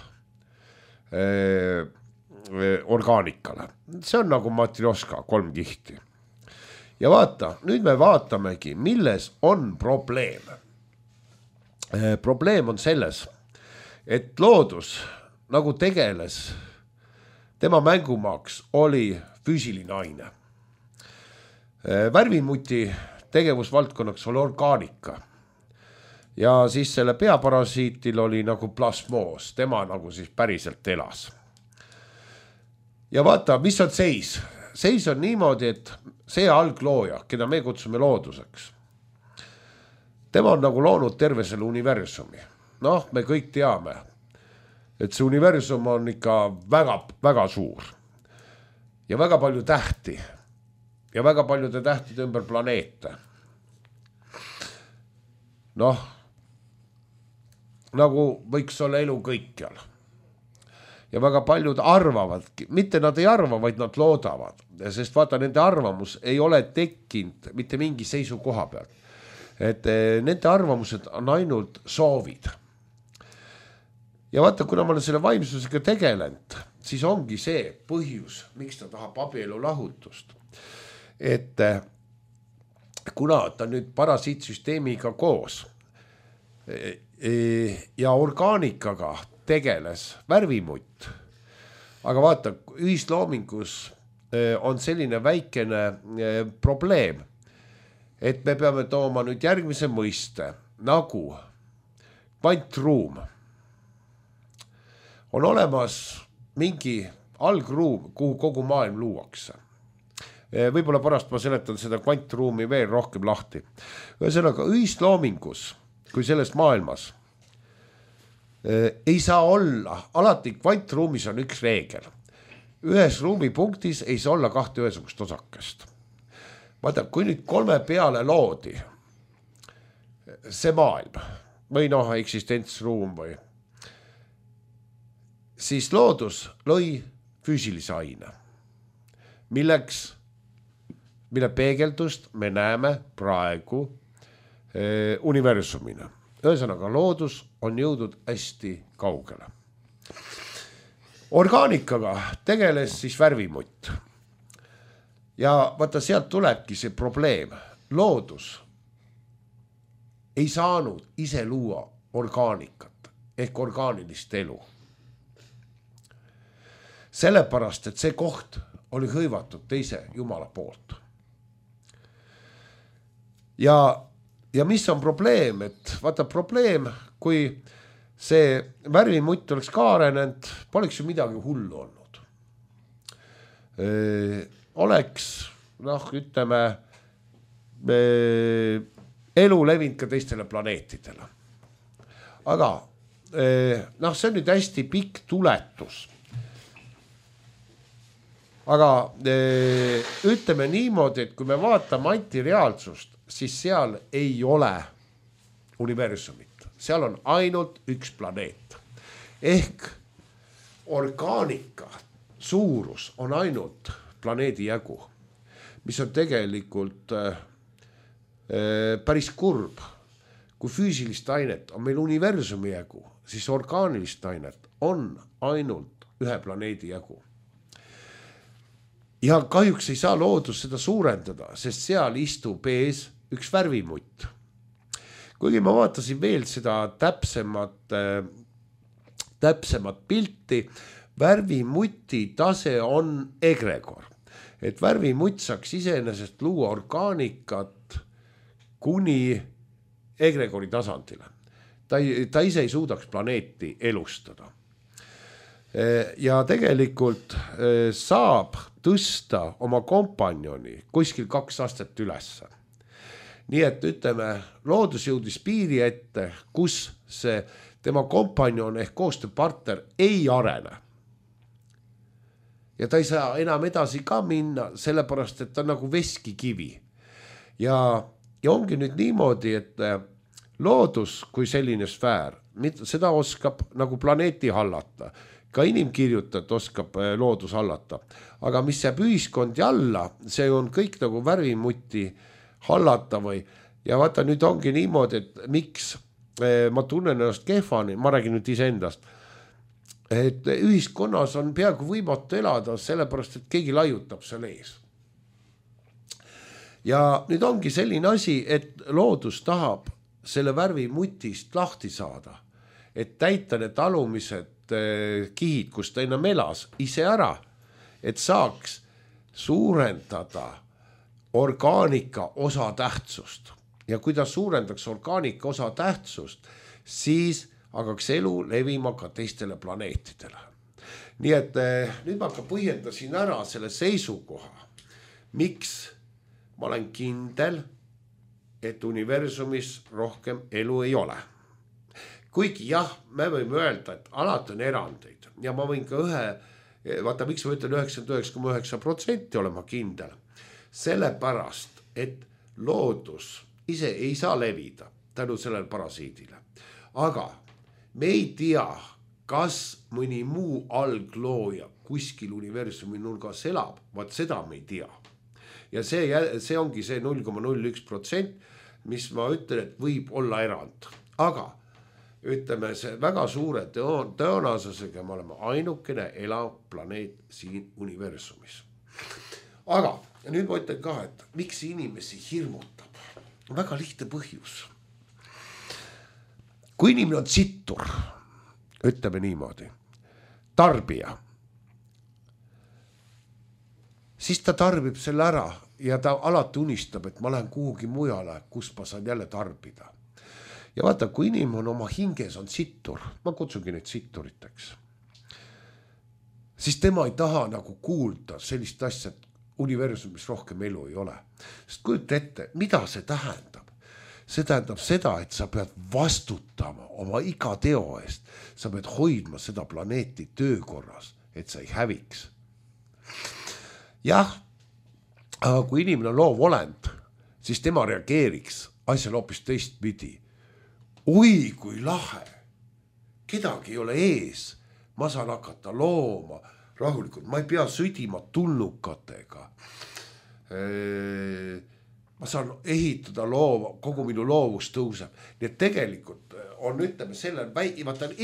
orgaanikale. See on nagu matrioška, 3 kihti. Ja vaata, nüüd me vaatamegi, milles on probleem. Probleem on selles, et loodus nagu tegeles, tema mängumaaks oli füüsiline aine. Värvimuti tegevusvaldkonnaks oli orgaanika. Ja siis selle peaparasiitil oli nagu plasmoos, tema nagu siis päriselt elas. Ja vaata, mis on seis? Seis on niimoodi, et see alglooja, keda me kutsume looduseks, tema on nagu loonud terve selle universumi. Noh, me kõik teame, et see universum on ikka väga, väga suur ja väga palju tähti ja väga paljude tähtide ümber planeete. Noh, nagu võiks olla elu kõikjal. Ja väga paljud arvavadki, mitte nad ei arva, vaid nad loodavad, sest vaata, nende arvamus ei ole tekkinud mitte mingi seisukoha pealt. Et nende arvamused on ainult soovid. Ja vaata, kuna ma olen selle vaimsusega tegelenud, siis ongi see põhjus, miks ta tahab abielu lahutust. Et kuna ta nüüd parasiitsüsteemiga koos ja orgaanikaga tegeles värvimutt, aga vaata, ühisloomingus on selline väikene probleem, et me peame tooma nüüd järgmise mõiste, nagu kvantruum. On olemas mingi algruum, kuhu kogu maailm luuakse. Võib-olla pärast ma seletan seda kvantruumi veel rohkem lahti. Ühesõnaga, ühisloomingus, kui selles maailmas, ei saa olla, alati kvantruumis on üks reegel. Ühes ruumipunktis ei saa olla 2 ühesugust osakest. Vaata, kui nüüd 3 peale loodi see maailm või eksistentsruum või, siis loodus lõi füüsilise aine, mille peegeldust me näeme praegu universumina. Ühesõnaga, loodus on jõudnud hästi kaugele. Orgaanikaga tegeles siis värvimutt. Ja vaata, sealt tulebki see probleem. Loodus ei saanud ise luua orgaanikat ehk orgaanilist elu. Sellepärast, et see koht oli hõivatud teise Jumala poolt. Ja mis on probleem, et vaata probleem, kui see värvimutt oleks ka arenenud, poleks ju midagi hullu olnud. Oleks, ütleme, elu levinud ka teistele planeetidele. Aga see on nüüd hästi pikk tuletus. Aga ütleme niimoodi, et kui me vaatame antireaalsust, siis seal ei ole universumit. Seal on ainult üks planeet. Ehk orgaanika suurus on ainult planeedi jagu, mis on tegelikult päris kurb. Kui füüsilist ainet on meil universumi jagu, siis orgaanilist ainet on ainult ühe planeedi jagu. Ja kahjuks ei saa loodus seda suurendada, sest seal istub ees üks värvimutt. Kuigi ma vaatasin veel seda täpsemat pilti, värvimuti tase on egregor. Et värvimutt saaks iseenesest luua orgaanikat kuni egregori tasandile. Ta ise ei suudaks planeeti elustada. Ja tegelikult saab tõsta oma kompanjoni kuskil 2 astet ülesse. Nii et ütleme, loodus jõudis piiri ette, kus see tema kompanjon ehk koostööpartner ei arene. Ja ta ei saa enam edasi ka minna, sellepärast, et ta on nagu veskikivi. Ja ongi nüüd niimoodi, et loodus kui selline sfäär, seda oskab nagu planeeti hallata. ka inimkirjutajat oskab loodus hallata, aga mis jääb ühiskondi alla, see on kõik nagu värvimutti hallata või, ja vaata nüüd ongi niimoodi, et miks ma tunnen ennast kehvani, ma räägin nüüd iseendast, et ühiskonnas on peaaegu võimatu elada, sellepärast, et keegi laiutab seal ees. Ja nüüd ongi selline asi, et loodus tahab selle värvimutist lahti saada, et täita need alumised kihid, kus ta enam elas, ise ära, et saaks suurendada orgaanika osatähtsust. Ja kui ta suurendaks orgaanika osatähtsust, siis hakkaks elu levima ka teistele planeetidele. Nii et nüüd ma ka põhjendasin ära selle seisukoha, miks ma olen kindel, et universumis rohkem elu ei ole. Kuigi jah, me võime öelda, et alati on erandeid ja ma võin ka vaata miks ma ütlen 99,9% olema kindel, sellepärast, et loodus ise ei saa levida tänu sellele parasiidile. Aga me ei tea, kas mõni muu alglooja kuskil universumi nurgas elab, vaat seda me ei tea. Ja see ongi see 0,01%, mis ma ütlen, et võib olla erand. Aga ütleme, see väga suure tõenäosusega me oleme ainukene elav planeet siin universumis. Aga nüüd ma ütlen ka, et miks inimesi hirmutab? Väga lihtne põhjus. Kui inimene on sittur, ütleme niimoodi, tarbija, siis ta tarbib selle ära ja ta alati unistab, et ma lähen kuhugi mujale, kus ma saan jälle tarbida. Ja vaata, kui inimene on oma hinges on sittur, ma kutsungi neid sitturiteks, siis tema ei taha nagu kuulda sellist asja, et universumis rohkem elu ei ole. Sest kujuta ette, mida see tähendab? See tähendab seda, et sa pead vastutama oma iga teo eest. Sa pead hoidma seda planeeti töökorras, et sa ei häviks. Jah, aga kui inimene on loov olend, siis tema reageeriks asjal hoopis teistpidi. Oi, kui lahe, kedagi ei ole ees, ma saan hakata looma rahulikult, ma ei pea sõdima tulnukatega, ma saan ehitada loova, kogu minu loovus tõuseb. Nii et tegelikult on, ütleme,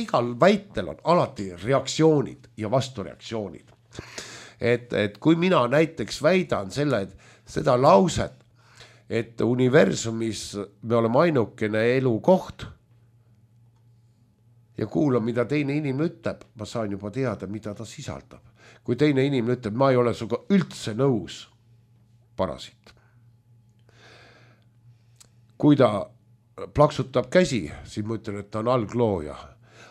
igal väitel on alati reaktsioonid ja vastureaktsioonid. Et kui mina näiteks väidan seda lauset, et universumis me oleme ainukene elukoht ja kuulan, mida teine inimene ütleb, ma saan juba teada, mida ta sisaldab. Kui teine inimene ütleb, ma ei ole suga üldse nõus, parasiit. Kui ta plaksutab käsi, siis ma ütlen, et ta on alglooja.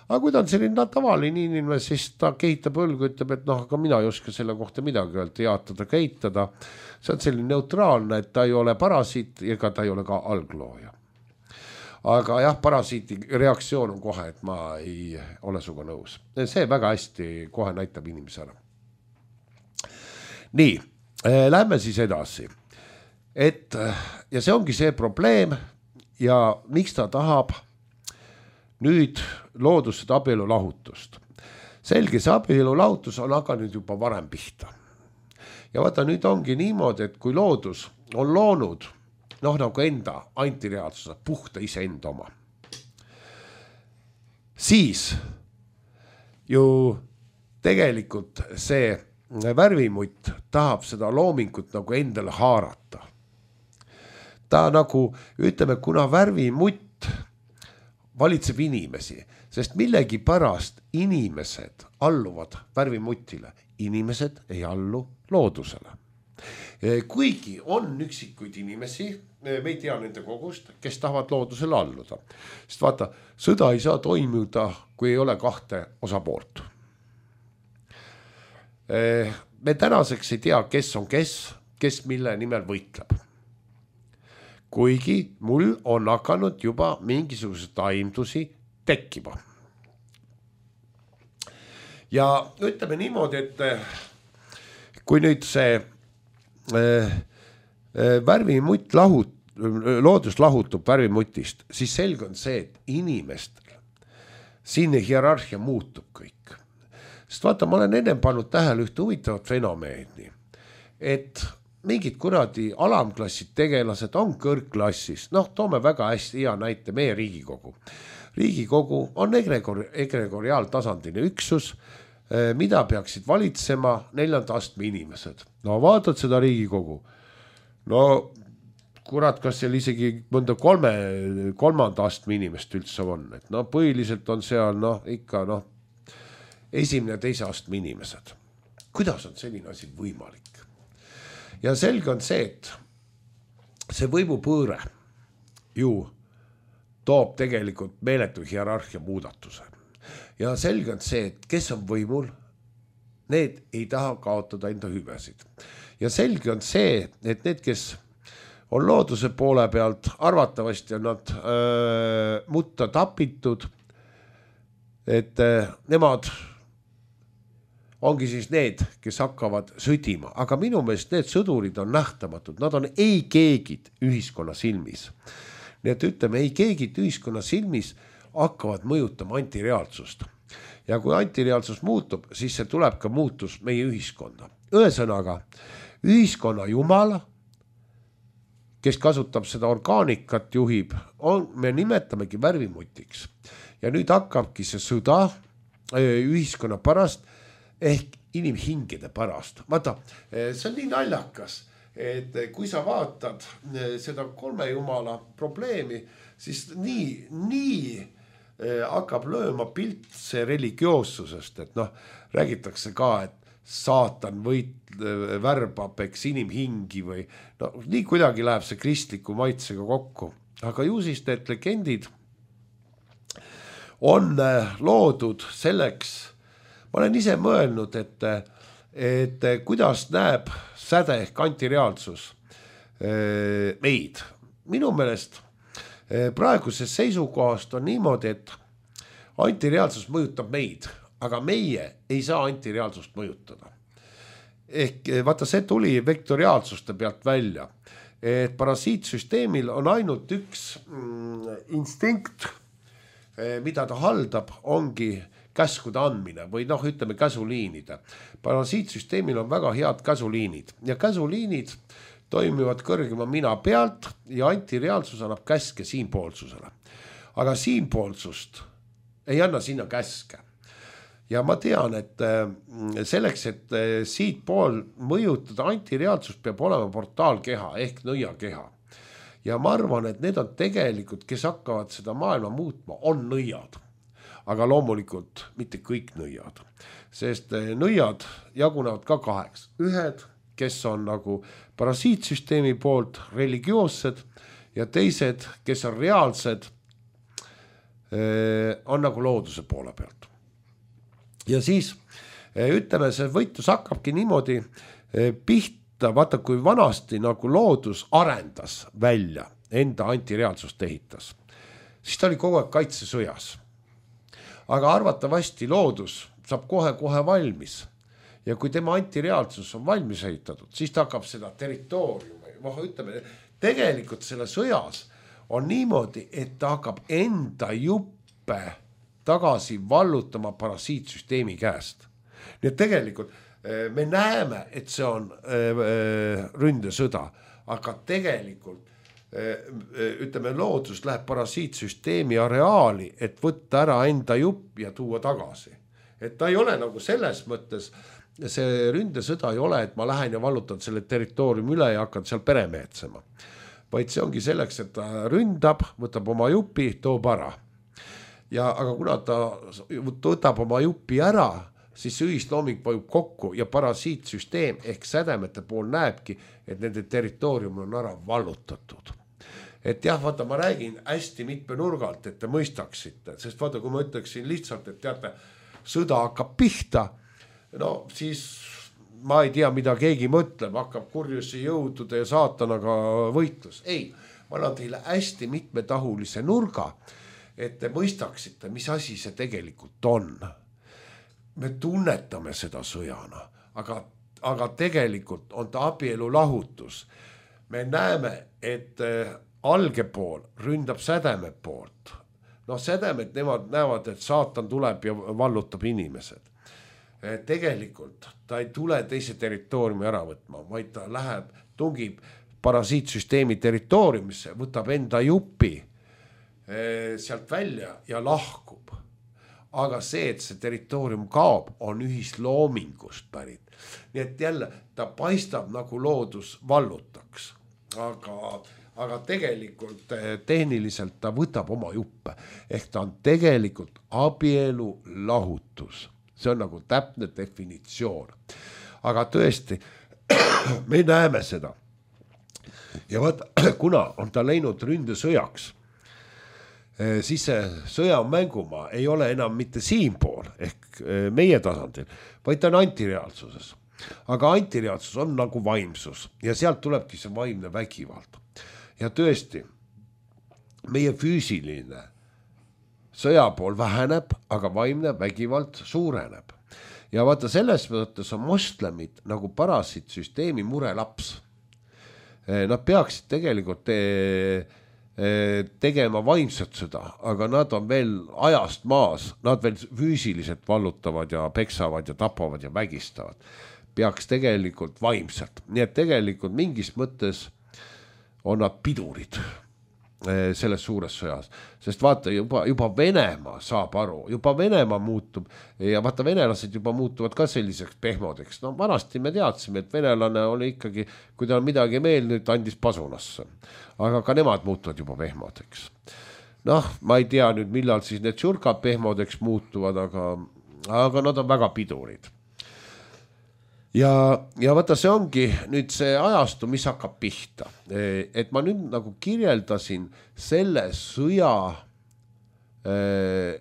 Aga kui ta on selline tavaline inimene, siis ta kehitab õlgu, ütleb, et aga mina ei oska selle kohta midagi öelda, jaatada, kehitada. See on selline neutraalne, et ta ei ole parasiit ega ta ei ole ka alglooja. Aga jah, parasiiti reaktsioon on kohe, et ma ei ole suga nõus. See väga hästi kohe näitab inimese ära. Nii, lähme siis edasi. Ja see ongi see probleem ja miks ta tahab nüüd loodused abielu lahutust. Selge, see abielu lahutus on hakanud juba varem pihta. Ja vaata, nüüd ongi niimoodi, et kui loodus on loonud nagu enda antireaalsuse, puhta iseenda oma, siis ju tegelikult see värvimutt tahab seda loomingut nagu endale haarata. Ta nagu, ütleme, kuna värvimutt valitseb inimesi, sest millegi pärast inimesed alluvad värvimutile, inimesed ei allu loodusele. Kuigi on üksikuid inimesi, me ei tea nende kogust, kes tahavad loodusele alluda. Sest vaata, sõda ei saa toimuda, kui ei ole kahte osapoolt. Me tänaseks ei tea, kes on kes mille nimel võitleb. Kuigi mul on hakanud juba mingisugused aimdusi tekkima. Ja ütleme niimoodi, et kui nüüd see värvimutt loodus lahutub värvimutist, siis selge on see, et inimestel siin hierarhia muutub kõik. Sest vaata, ma olen ennem pannud tähele ühte huvitavat fenomeeni, et mingid kuradi alamklassid tegelased on kõrgklassis. Noh, toome väga hästi hea näite meie Riigikogu. Riigikogu on egregoriaaltasandiline üksus, mida peaksid valitsema 4. astme inimesed. No vaatad seda Riigikogu. No kurat, kas seal isegi mõnda 3. astme inimest üldse on. Et no põhiliselt on seal ikka 1. ja 2. astme inimesed. Kuidas on selline asi võimalik? Ja selge on see, et see võimupõõre ju toob tegelikult meeletu hierarhia muudatuse. Ja selge on see, et kes on võimul, need ei taha kaotada enda hüvesid. Ja selge on see, et need, kes on looduse poole pealt, arvatavasti on nad mutta tapitud, et nemad ongi siis need, kes hakkavad sõdima. Aga minu meelest need sõdurid on nähtamatud, nad on ei keegid ühiskonna silmis. Nii et ütleme, ei keegid ühiskonna silmis hakkavad mõjutama antireaalsust. Ja kui antireaalsus muutub, siis see tuleb ka muutus meie ühiskonda. Ühesõnaga, ühiskonna jumal, kes kasutab seda orgaanikat, juhib, me nimetamegi värvimutiks. Ja nüüd hakkabki see sõda ühiskonna pärast ehk inimhingede pärast. Vaata, see on nii naljakas, et kui sa vaatad seda 3 jumala probleemi, siis nii hakkab lööma pilt see religioossusest, et räägitakse ka, et saatan värbab eks inimhingi või nii kuidagi läheb see kristliku maitsega kokku. Aga ju siis need legendid on loodud selleks, ma olen ise mõelnud, et kuidas näeb säde ehk antireaalsus meid. Minu meelest praeguses seisukohast on niimoodi, et antireaalsus mõjutab meid, aga meie ei saa antireaalsust mõjutada. Ehk vaata, see tuli vektoriaalsuste pealt välja, et parasiitsüsteemil on ainult üks instinkt, mida ta haldab, ongi käskude andmine või ütleme käsuliinide. Parasiitsüsteemil on väga head käsuliinid ja käsuliinid toimivad kõrgema mina pealt ja antireaalsus annab käske siinpoolsusele. Aga siinpoolsust ei anna sinna käske. Ja ma tean, et selleks, et siit pool mõjutada antireaalsust, peab olema portaalkeha ehk nõiakeha. Ja ma arvan, et need on tegelikult, kes hakkavad seda maailma muutma, on nõiad. Aga loomulikult mitte kõik nõiad, sest nõiad jagunevad ka 2. Ühed, kes on nagu parasiitsüsteemi poolt religioossed ja teised, kes on reaalsed, on nagu looduse poole pealt. Ja siis ütleme, see võitlus hakkabki niimoodi pihta, vaata kui vanasti nagu loodus arendas välja, enda antireaalsust ehitas, siis ta oli kogu aeg kaitsesõjas. Aga arvatavasti loodus saab kohe valmis ja kui tema antireaalsus on valmis ehitatud, siis ta hakkab seda territooriumi, ütleme, tegelikult selle sõjas on niimoodi, et ta hakkab enda juppe tagasi vallutama parasiitsüsteemi käest. Nii et tegelikult me näeme, et see on ründesõda, aga tegelikult ütleme, loodus läheb parasiitsüsteemi areaali, et võtta ära enda jupp ja tuua tagasi. Et ta ei ole nagu selles mõttes, see ründesõda ei ole, et ma lähen ja vallutan selle territooriumi üle ja hakkan seal peremehetsema. Vaid see ongi selleks, et ta ründab, võtab oma jupi, toob ära. Aga kuna ta võtab oma jupi ära, siis ühislooming vajub kokku ja parasiitsüsteem ehk sädemete pool näebki, et nende territoorium on ära vallutatud. Et jah, vaata, ma räägin hästi mitme nurgalt, et te mõistaksite, sest vaata, kui ma ütleksin lihtsalt, et teate, sõda hakkab pihta, siis ma ei tea, mida keegi mõtleb, hakkab kurjusi jõudude ja saatanaga võitlus. Ei, ma annan teile hästi mitmetahulise nurga, et te mõistaksite, mis asi see tegelikult on. Me tunnetame seda sõjana, aga tegelikult on ta abielu lahutus. Me näeme, et alge pool ründab sädeme poolt. Sädemed, nemad näevad, et saatan tuleb ja vallutab inimesed. tegelikult ta ei tule teise territooriumi ära võtma, vaid ta läheb, tungib parasiitsüsteemi territooriumisse, võtab enda jupi sealt välja ja lahkub. Aga see, et see territoorium kaob, on ühisloomingust pärit. Nii et jälle ta paistab nagu loodus vallutaks, aga tegelikult tehniliselt ta võtab oma juppe. Ehk ta on tegelikult abielu lahutus. See on nagu täpne definitsioon. Aga tõesti, me näeme seda. Ja vaata, kuna on ta läinud ründesõjaks, siis see sõjamängumaa ei ole enam mitte siinpool ehk meie tasandil, vaid ta on antireaalsuses. Aga antireaalsus on nagu vaimsus ja sealt tulebki see vaimne vägivald. Ja tõesti, meie füüsiline sõjapool väheneb, aga vaimne vägivald suureneb. Ja vaata, selles mõttes on moslemid nagu parasiitsüsteemi murelaps. Nad peaksid tegelikult tegema vaimset sõda, aga nad on veel ajast maas, nad veel füüsiliselt vallutavad ja peksavad ja tapavad ja vägistavad. Peaks tegelikult vaimselt. Nii et tegelikult mingis mõttes on nad pidurid selles suures sõjas. Sest vaata, juba Venemaa saab aru, juba Venemaa muutub ja vaata, venelased juba muutuvad ka selliseks pehmodeks. No vanasti me teadsime, et venelane oli ikkagi, kui ta on midagi meelnud, andis pasunasse. Aga ka nemad muutuvad juba pehmodeks. Noh, ma ei tea nüüd, millal siis need surkad pehmodeks muutuvad, aga nad on väga pidurid. Ja vaata, see ongi nüüd see ajastu, mis hakkab pihta. Et ma nüüd nagu kirjeldasin selle sõja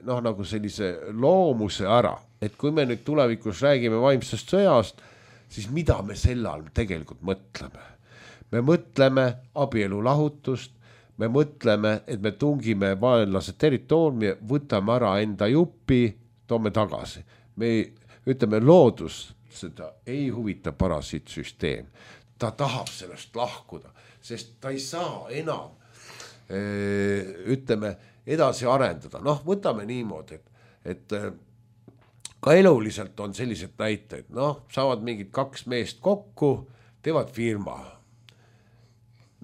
nagu sellise loomuse ära. Et kui me nüüd tulevikus räägime vaimsest sõjast, siis mida me selle all tegelikult mõtleme? Me mõtleme abielu lahutust, me mõtleme, et me tungime vaenlase territooriumi, võtame ära enda jupi, toome tagasi. Me ütleme loodus, seda ei huvita parasiitsüsteem. Ta tahab sellest lahkuda, sest ta ei saa enam, ütleme, edasi arendada. Noh, võtame niimoodi, et ka eluliselt on sellised näiteid. Noh, saavad mingid 2 meest kokku, teevad firma.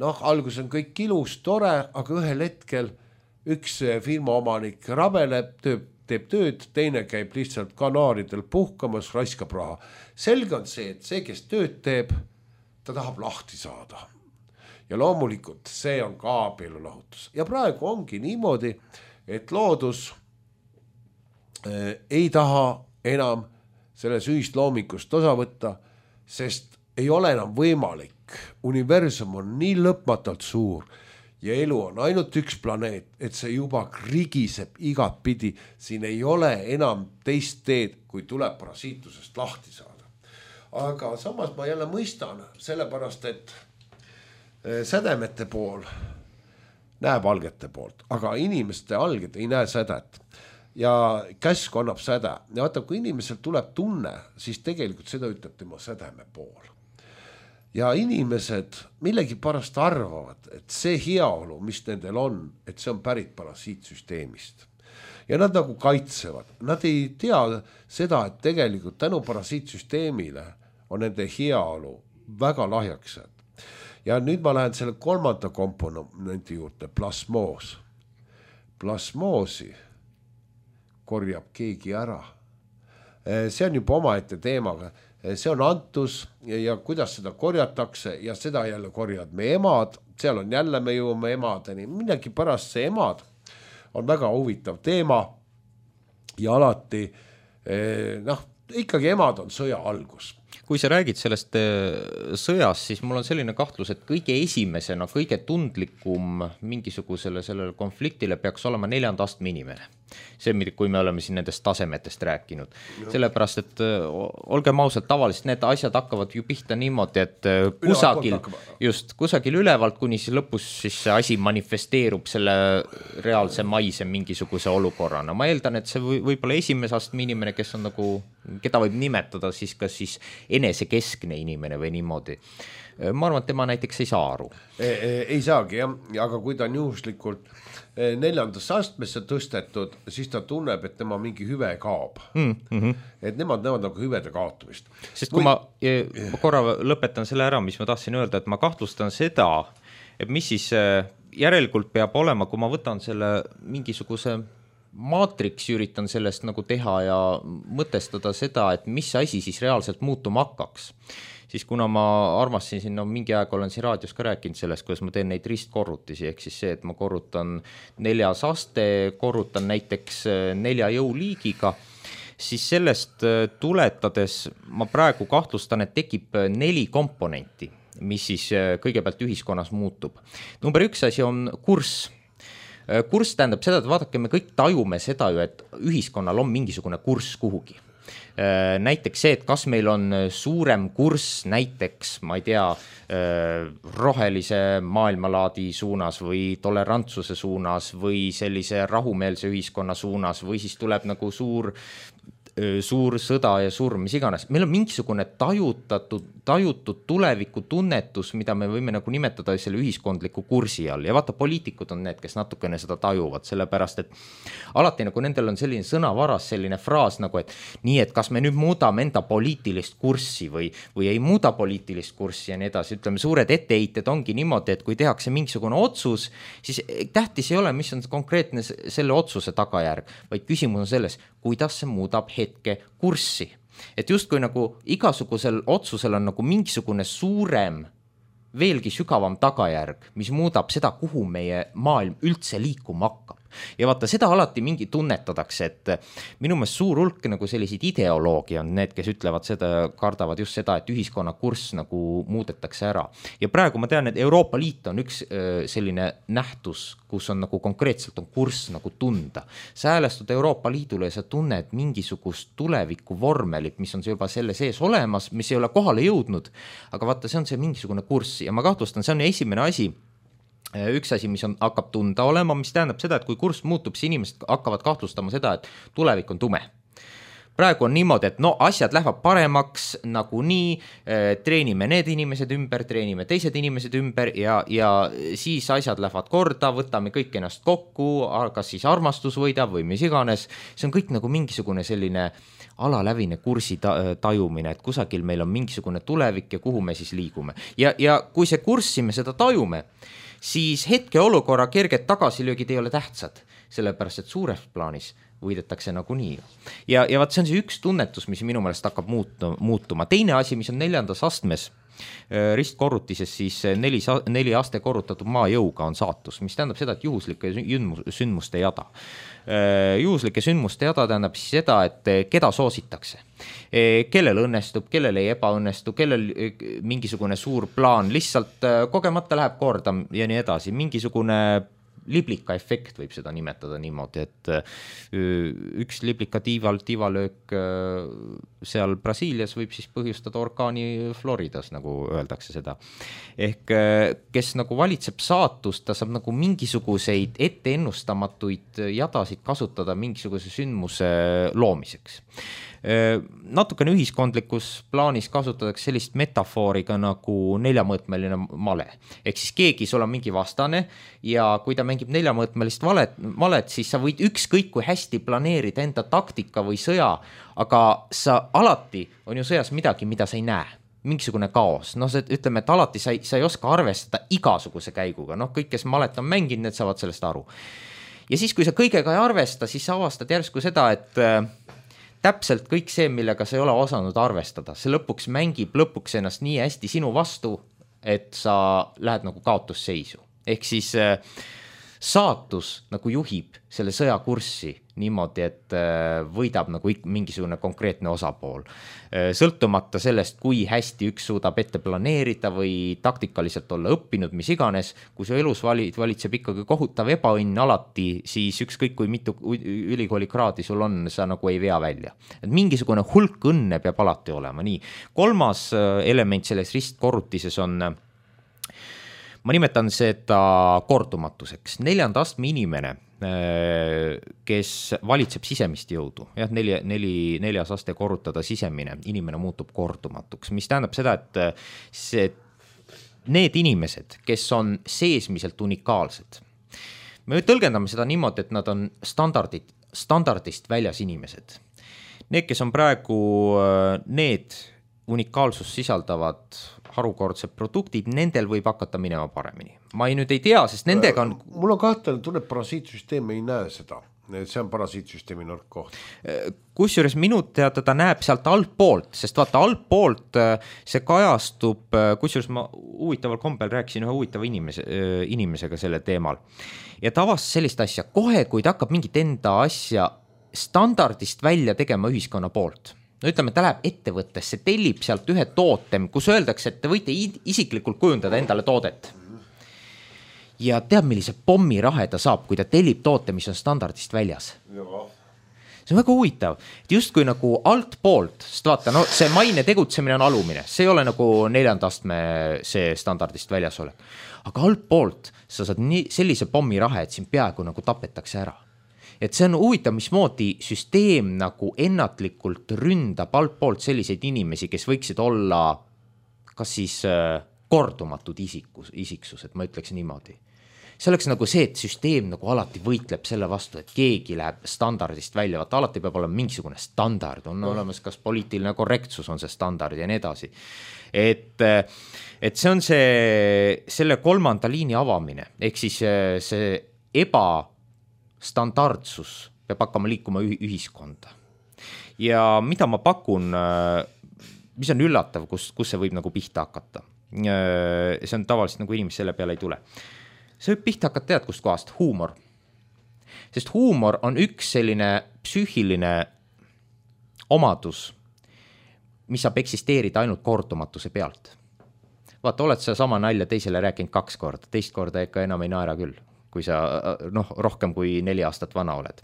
Noh, algus on kõik ilus, tore, aga ühel hetkel üks firma omanik rabeleb, teeb tööd, teine käib lihtsalt kanaaridel puhkamas, raiskab raha. Selge on see, et see, kes tööd teeb, ta tahab lahti saada. Ja loomulikult see on ka abielu lahutus. Ja praegu ongi niimoodi, et loodus ei taha enam selles ühisloomikust osa võtta, sest ei ole enam võimalik. Universum on nii lõpmatult suur, ja elu on ainult üks planeet, et see juba krigiseb igat pidi. Siin ei ole enam teist teed, kui tuleb parasiitusest lahti saada. Aga samas ma jälle mõistan, sellepärast, et sädemete pool näeb algete poolt, aga inimeste alged ei näe sädet. Ja käsk annab säde. Ja vaata, kui inimesel tuleb tunne, siis tegelikult seda ütleb tema sädeme pool. Ja inimesed millegi pärast arvavad, et see heaolu, mis nendel on, et see on pärit parasiitsüsteemist. Ja nad nagu kaitsevad. Nad ei tea seda, et tegelikult tänu parasiitsüsteemile on nende heaolu väga lahjaksed. Ja nüüd ma lähen selle 3. komponendi juurde, plasmoos. Plasmoosi korjab keegi ära. See on juba omaette teemaga. See on antus ja kuidas seda korjatakse ja seda jälle korjad me emad, seal on jälle me jõuame emadeni, midagi pärast see emad on väga huvitav teema ja alati, ikkagi emad on sõja algus. Kui sa räägid sellest sõjast, siis mul on selline kahtlus, et kõige esimesena, kõige tundlikum mingisugusele sellele konfliktile peaks olema 4. astme inimene. See, kui me oleme siin nendest tasemetest rääkinud. Sellepärast, et olgem ausalt, tavaliselt need asjad hakkavad ju pihta niimoodi, et kusagil ülevalt, kuni siis lõpus siis see asi manifesteerub selle reaalse maise mingisuguse olukorrana. Ma eeldan, et see võib-olla esimese astme inimene, kes on nagu, keda võib nimetada siis kas siis enesekeskne inimene või niimoodi. Ma arvan, et tema näiteks ei saa aru. Ei saagi jah, aga kui ta on juhuslikult 4. astmesse tõstetud, siis ta tunneb, et tema mingi hüve kaob. Et nemad näevad nagu hüvede kaotumist. Sest kui ma korra lõpetan selle ära, mis ma tahtsin öelda, et ma kahtlustan seda, et mis siis järelikult peab olema, kui ma võtan selle mingisuguse maatriks, üritan sellest nagu teha ja mõtestada seda, et mis asi siis reaalselt muutuma hakkaks. Siis kuna ma armastasin, mingi aeg olen siin raadios ka rääkinud sellest, kuidas ma teen neid ristkorrutisi, ehk siis see, et ma korrutan 4. aste, korrutan näiteks 4 jõuliigiga, siis sellest tuletades ma praegu kahtlustan, et tekib 4 komponenti, mis siis kõigepealt ühiskonnas muutub. Number 1 asi on kurss. Kurss tähendab seda, et vaadake, me kõik tajume seda ju, et ühiskonnal on mingisugune kurss kuhugi. Näiteks see, et kas meil on suurem kurss näiteks, ma ei tea, rohelise maailmalaadi suunas või tolerantsuse suunas või sellise rahumeelse ühiskonna suunas või siis tuleb nagu suur sõda ja surm, mis iganes. Meil on mingisugune tajutud tuleviku tunnetus, mida me võime nagu nimetada selle ühiskondliku kursi all. Ja vaata, poliitikud on need, kes natukene seda tajuvad, sellepärast, et alati nagu nendel on selline sõnavaras, selline fraas nagu, et nii, et kas me nüüd muudame enda poliitilist kurssi või ei muuda poliitilist kurssi ja nii edasi. Ütleme, suured etteheited ongi niimoodi, et kui tehakse mingisugune otsus, siis tähtis ei ole, mis on konkreetne selle otsuse tagajärg, vaid küsimus on selles, kuidas see muudab hetke kurssi. Et justkui nagu igasugusel otsusel on nagu mingisugune suurem, veelgi sügavam tagajärg, mis muudab seda, kuhu meie maailm üldse liikuma hakkab. Ja vaata, seda alati mingi tunnetadakse, et minu meelest suur hulk nagu selliseid ideoloogi on need, kes ütlevad seda, kardavad just seda, et ühiskonna kurss nagu muudetakse ära. Ja praegu ma tean, et Euroopa Liit on üks selline nähtus, kus on nagu konkreetselt on kurss nagu tunda. Sa häälestud Euroopa Liidule ja sa tunned mingisugust tuleviku vormelit, mis on juba selle sees olemas, mis ei ole kohale jõudnud, aga vaata, see on see mingisugune kurss ja ma kahtlustan, see on esimene asi, üks asi, mis hakkab tunda olema, mis tähendab seda, et kui kurss muutub, siis inimesed hakkavad kahtlustama seda, et tulevik on tume. Praegu on niimoodi, et asjad lähevad paremaks nagu nii, treenime need inimesed ümber, treenime teised inimesed ümber ja siis asjad lähevad korda, võtame kõik ennast kokku, kas siis armastus võidab või mis iganes. See on kõik nagu mingisugune selline alalävine kursi tajumine, et kusagil meil on mingisugune tulevik ja kuhu me siis liigume. Ja kui see kurssi me seda tajume, siis hetke olukorra kerged tagasilöögid ei ole tähtsad, sellepärast et suures plaanis võidetakse nagu nii. Ja vaat see on see üks tunnetus, mis minu meelest hakkab muutuma. Teine asi, mis on 4. astmes ristkorrutises, siis 4 aste korrutatud maajõuga on saatus, mis tähendab seda, et juhuslike sündmuste jada. Juhuslike sündmuste jada tähendab siis seda, et keda soositakse. Kellel õnnestub, kellel ei ebaõnnestu, kellel mingisugune suur plaan lihtsalt kogemata läheb korda ja nii edasi. Mingisugune liblika efekt võib seda nimetada niimoodi, et üks liblika tiivalöök seal Brasiilias võib siis põhjustada orkaani Floridas, nagu öeldakse seda. Ehk kes nagu valitseb saatust, ta saab nagu mingisuguseid etteennustamatuid jadasid kasutada mingisuguse sündmuse loomiseks. Natukene ühiskondlikus plaanis kasutatakse sellist metafooriga nagu 4-mõõtmeline male. Ehk siis keegi sul on mingi vastane ja kui ta mängib 4-mõõtmelist valet, siis sa võid ükskõik kui hästi planeerida enda taktika või sõja, aga sa alati on ju sõjas midagi, mida sa ei näe. Mingisugune kaos. Ütleme, et alati sa ei oska arvestada igasuguse käiguga. Kõik, kes malet on mänginud, need saavad sellest aru. Ja siis, kui sa kõigega ei arvesta, siis sa avastad järsku seda, et täpselt kõik see, millega sa ei ole osanud arvestada, see lõpuks mängib ennast nii hästi sinu vastu, et sa lähed nagu kaotusseisu. Ehk siis saatus nagu juhib selle sõjakurssi niimoodi, et võidab nagu mingisugune konkreetne osapool. Sõltumata sellest, kui hästi üks suudab ette planeerida või taktikaliselt olla õppinud, mis iganes, kui su elus valitseb ikkagi kohutav ebaõnn alati, siis ükskõik kui mitu ülikooli kraadi sul on, sa nagu ei vea välja. Et mingisugune hulk õnne peab alati olema. Nii. 3. element selles ristkorrutises on, ma nimetan seda kordumatuseks. 4. astme inimene kes valitseb sisemist jõudu, jah, neljas aste korrutada sisemine, inimene muutub kordumatuks, mis tähendab seda, et need inimesed, kes on seesmiselt unikaalsed, me tõlgendame seda niimoodi, et nad on standardist väljas inimesed. Need, kes on praegu need unikaalsust sisaldavad harukordsed produktid, nendel võib hakata minema paremini. Ma nüüd ei tea, sest nendega on... Mul on kahtlane tunne, et parasiitsüsteem ei näe seda. See on parasiitsüsteemi nõrk koht. Kusjuures minu teada ta näeb sealt altpoolt, sest vaata altpoolt see kajastub, kusjuures ma huvitaval kombel rääkisin ühe huvitava inimesega selle teemal. Ja ta avastas sellist asja, kohe kui ta hakkab mingit enda asja standardist välja tegema ühiskonna poolt. No ütleme, ta läheb ettevõttesse, tellib sealt ühe toote, kus öeldakse, et te võite isiklikult kujundada endale toodet. Ja teab, millise pommirahe ta saab, kui ta tellib toote, mis on standardist väljas. See on väga huvitav, et justkui nagu altpoolt, sest vaata, no see maine tegutsemine on alumine, see ei ole nagu 4. astme see standardist väljas ole. Aga altpoolt sa saad sellise pommirahe, et siin peaaegu nagu tapetakse ära. Et see on huvitav, mismoodi süsteem nagu ennatlikult ründab altpoolt selliseid inimesi, kes võiksid olla kas siis kordumatud isiksused, ma ütleks niimoodi. See oleks nagu see, et süsteem nagu alati võitleb selle vastu, et keegi läheb standardist välja, vaata alati peab olema mingisugune standard, on olemas kas poliitiline korrektsus on see standard ja nii edasi. Et see on selle 3. liini avamine, ehk siis see standardsus peab hakkama liikuma ühiskonda. Ja mida ma pakun, mis on üllatav, kus see võib nagu pihta hakata. See on tavaliselt nagu inimesed selle peale ei tule. See võib pihta hakata tead kust kohast, huumor. Sest huumor on üks selline psüühiline omadus, mis saab eksisteerida ainult kordumatuse pealt. Vaata, oled sa sama nalja teisele rääkinud 2 korda, teist korda ikka enam ei naera küll, kui sa rohkem kui 4 aastat vana oled.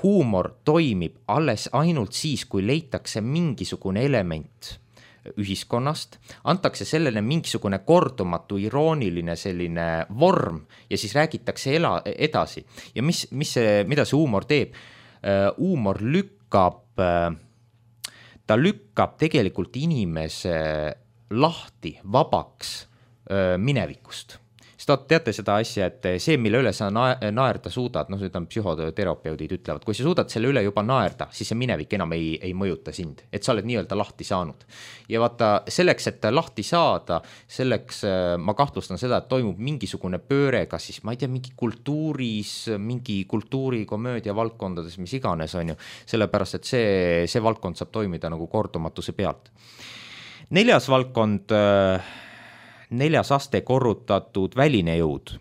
Huumor toimib alles ainult siis, kui leitakse mingisugune element ühiskonnast, antakse sellele mingisugune kordumatu, irooniline selline vorm ja siis räägitakse edasi. Ja mida see huumor teeb? Huumor lükkab tegelikult inimese lahti, vabaks minevikust. Sest teate seda asja, et see, mille üle sa naerda suudad, psühhoterapeudid ütlevad, kui sa suudad selle üle juba naerda, siis see minevik enam ei mõjuta sind, et sa oled nii-öelda lahti saanud. Ja vaata, selleks, et lahti saada, selleks ma kahtlustan seda, et toimub mingisugune pööre, kas siis, ma ei tea, mingi kultuuris, mingi kultuurikomöödia valdkondades, mis iganes on ju, sellepärast, et see valdkond saab toimida nagu kordumatuse pealt. 4. valdkond 4. aste korrutatud väline jõud.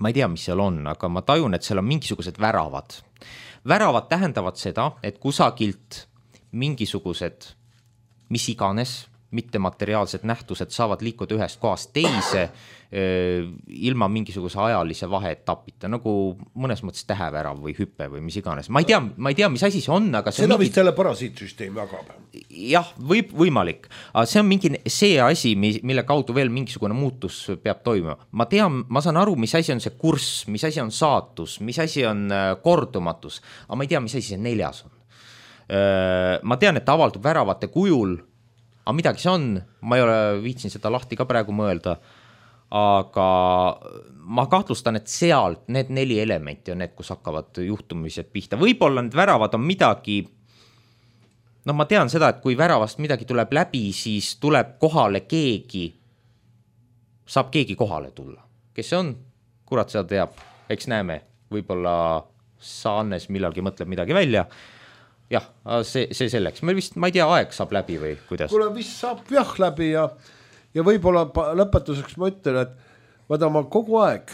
Ma ei tea, mis seal on, aga ma tajun, et seal on mingisugused väravad. Väravad tähendavad seda, et kusagilt mingisugused, mis iganes, mittemateriaalsed nähtused saavad liikuda ühest kohast teise ilma mingisuguse ajalise vaheetapita, nagu mõnes mõttes tähevärav või hüppe või mis iganes. Ma ei tea, mis asi see on, aga seda vist selle parasiitsüsteem jagab. Jah, võimalik. Aga see on mingi see asi, mille kaudu veel mingisugune muutus peab toimuma. Ma saan aru, mis asi on see kurss, mis asi on saatus, mis asi on kordumatus, aga ma ei tea, mis asi see 4. on. Ma tean, et ta avaldub väravate kujul, aga midagi see on, ma ei ole viitsin seda lahti ka praegu mõelda, aga ma kahtlustan, et sealt need 4 elementi on need, kus hakkavad juhtumised pihta. Võib-olla need väravad on midagi, ma tean seda, et kui väravast midagi tuleb läbi, siis tuleb kohale saab keegi kohale tulla. Kes see on? Kurat seda teab, eks näeme, võib-olla sa Annes millalgi mõtleb midagi välja. Jah, see selleks. Ma ei tea, aeg saab läbi või kuidas? Kuule, vist saab jah läbi ja võib-olla lõpetuseks ma ütlen, et vaata ma kogu aeg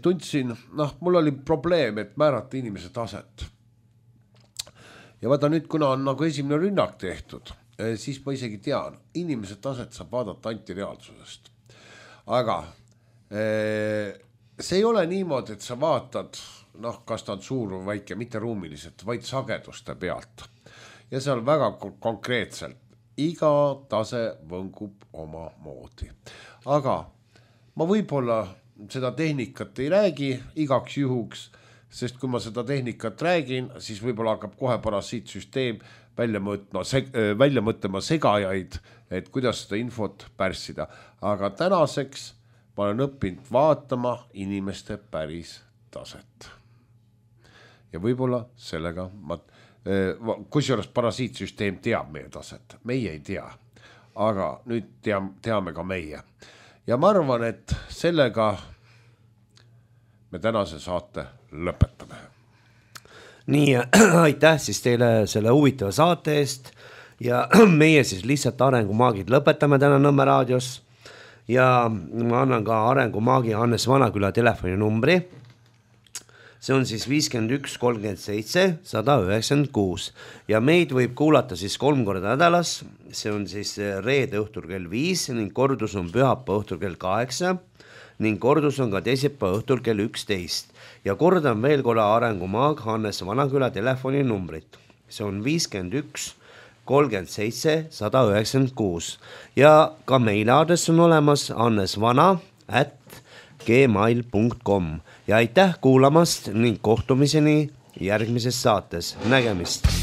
tundsin, mul oli probleem, et määrata inimese taset. Ja vaata nüüd, kuna on nagu esimene rünnak tehtud, siis ma isegi tean, inimese taset saab vaadata antireaalsusest. Aga see ei ole niimoodi, et sa vaatad kas ta on suur või väike, mitte ruumiliselt, vaid sageduste pealt. Ja seal väga konkreetselt iga tase võngub oma moodi. Aga ma võib-olla seda tehnikat ei räägi igaks juhuks, sest kui ma seda tehnikat räägin, siis võib-olla hakkab kohe parasiitsüsteem välja mõtlema segajaid, et kuidas seda infot pärssida. Aga tänaseks ma olen õppinud vaatama inimeste päris taset. Ja võib-olla sellega kusjuures parasiitsüsteem teab meie taset, meie ei tea, aga nüüd teame ka meie. Ja ma arvan, et sellega me tänase saate lõpetame. Nii, aitäh siis teile selle huvitava saate eest ja meie siis lihtsalt Arengumaagid lõpetame täna Nõmme raadios ja ma annan ka Arengumaagi Hannes Vanaküla telefoninumbri. See on siis 51 37 196 ja meid võib kuulata siis 3 korda nädalas. See on siis reede õhtul kell 5 ning kordus on pühapäeva õhtul kell 8 ning kordus on ka teisipäeva õhtul kell 11. Ja kordan veel korra Arengumaag Hannes Vanaküla telefoninumbrit. See on 51 37 196 ja ka meileadress on olemas hannesvana@gmail.com ja aitäh kuulamast ning kohtumiseni järgmises saates. Nägemist!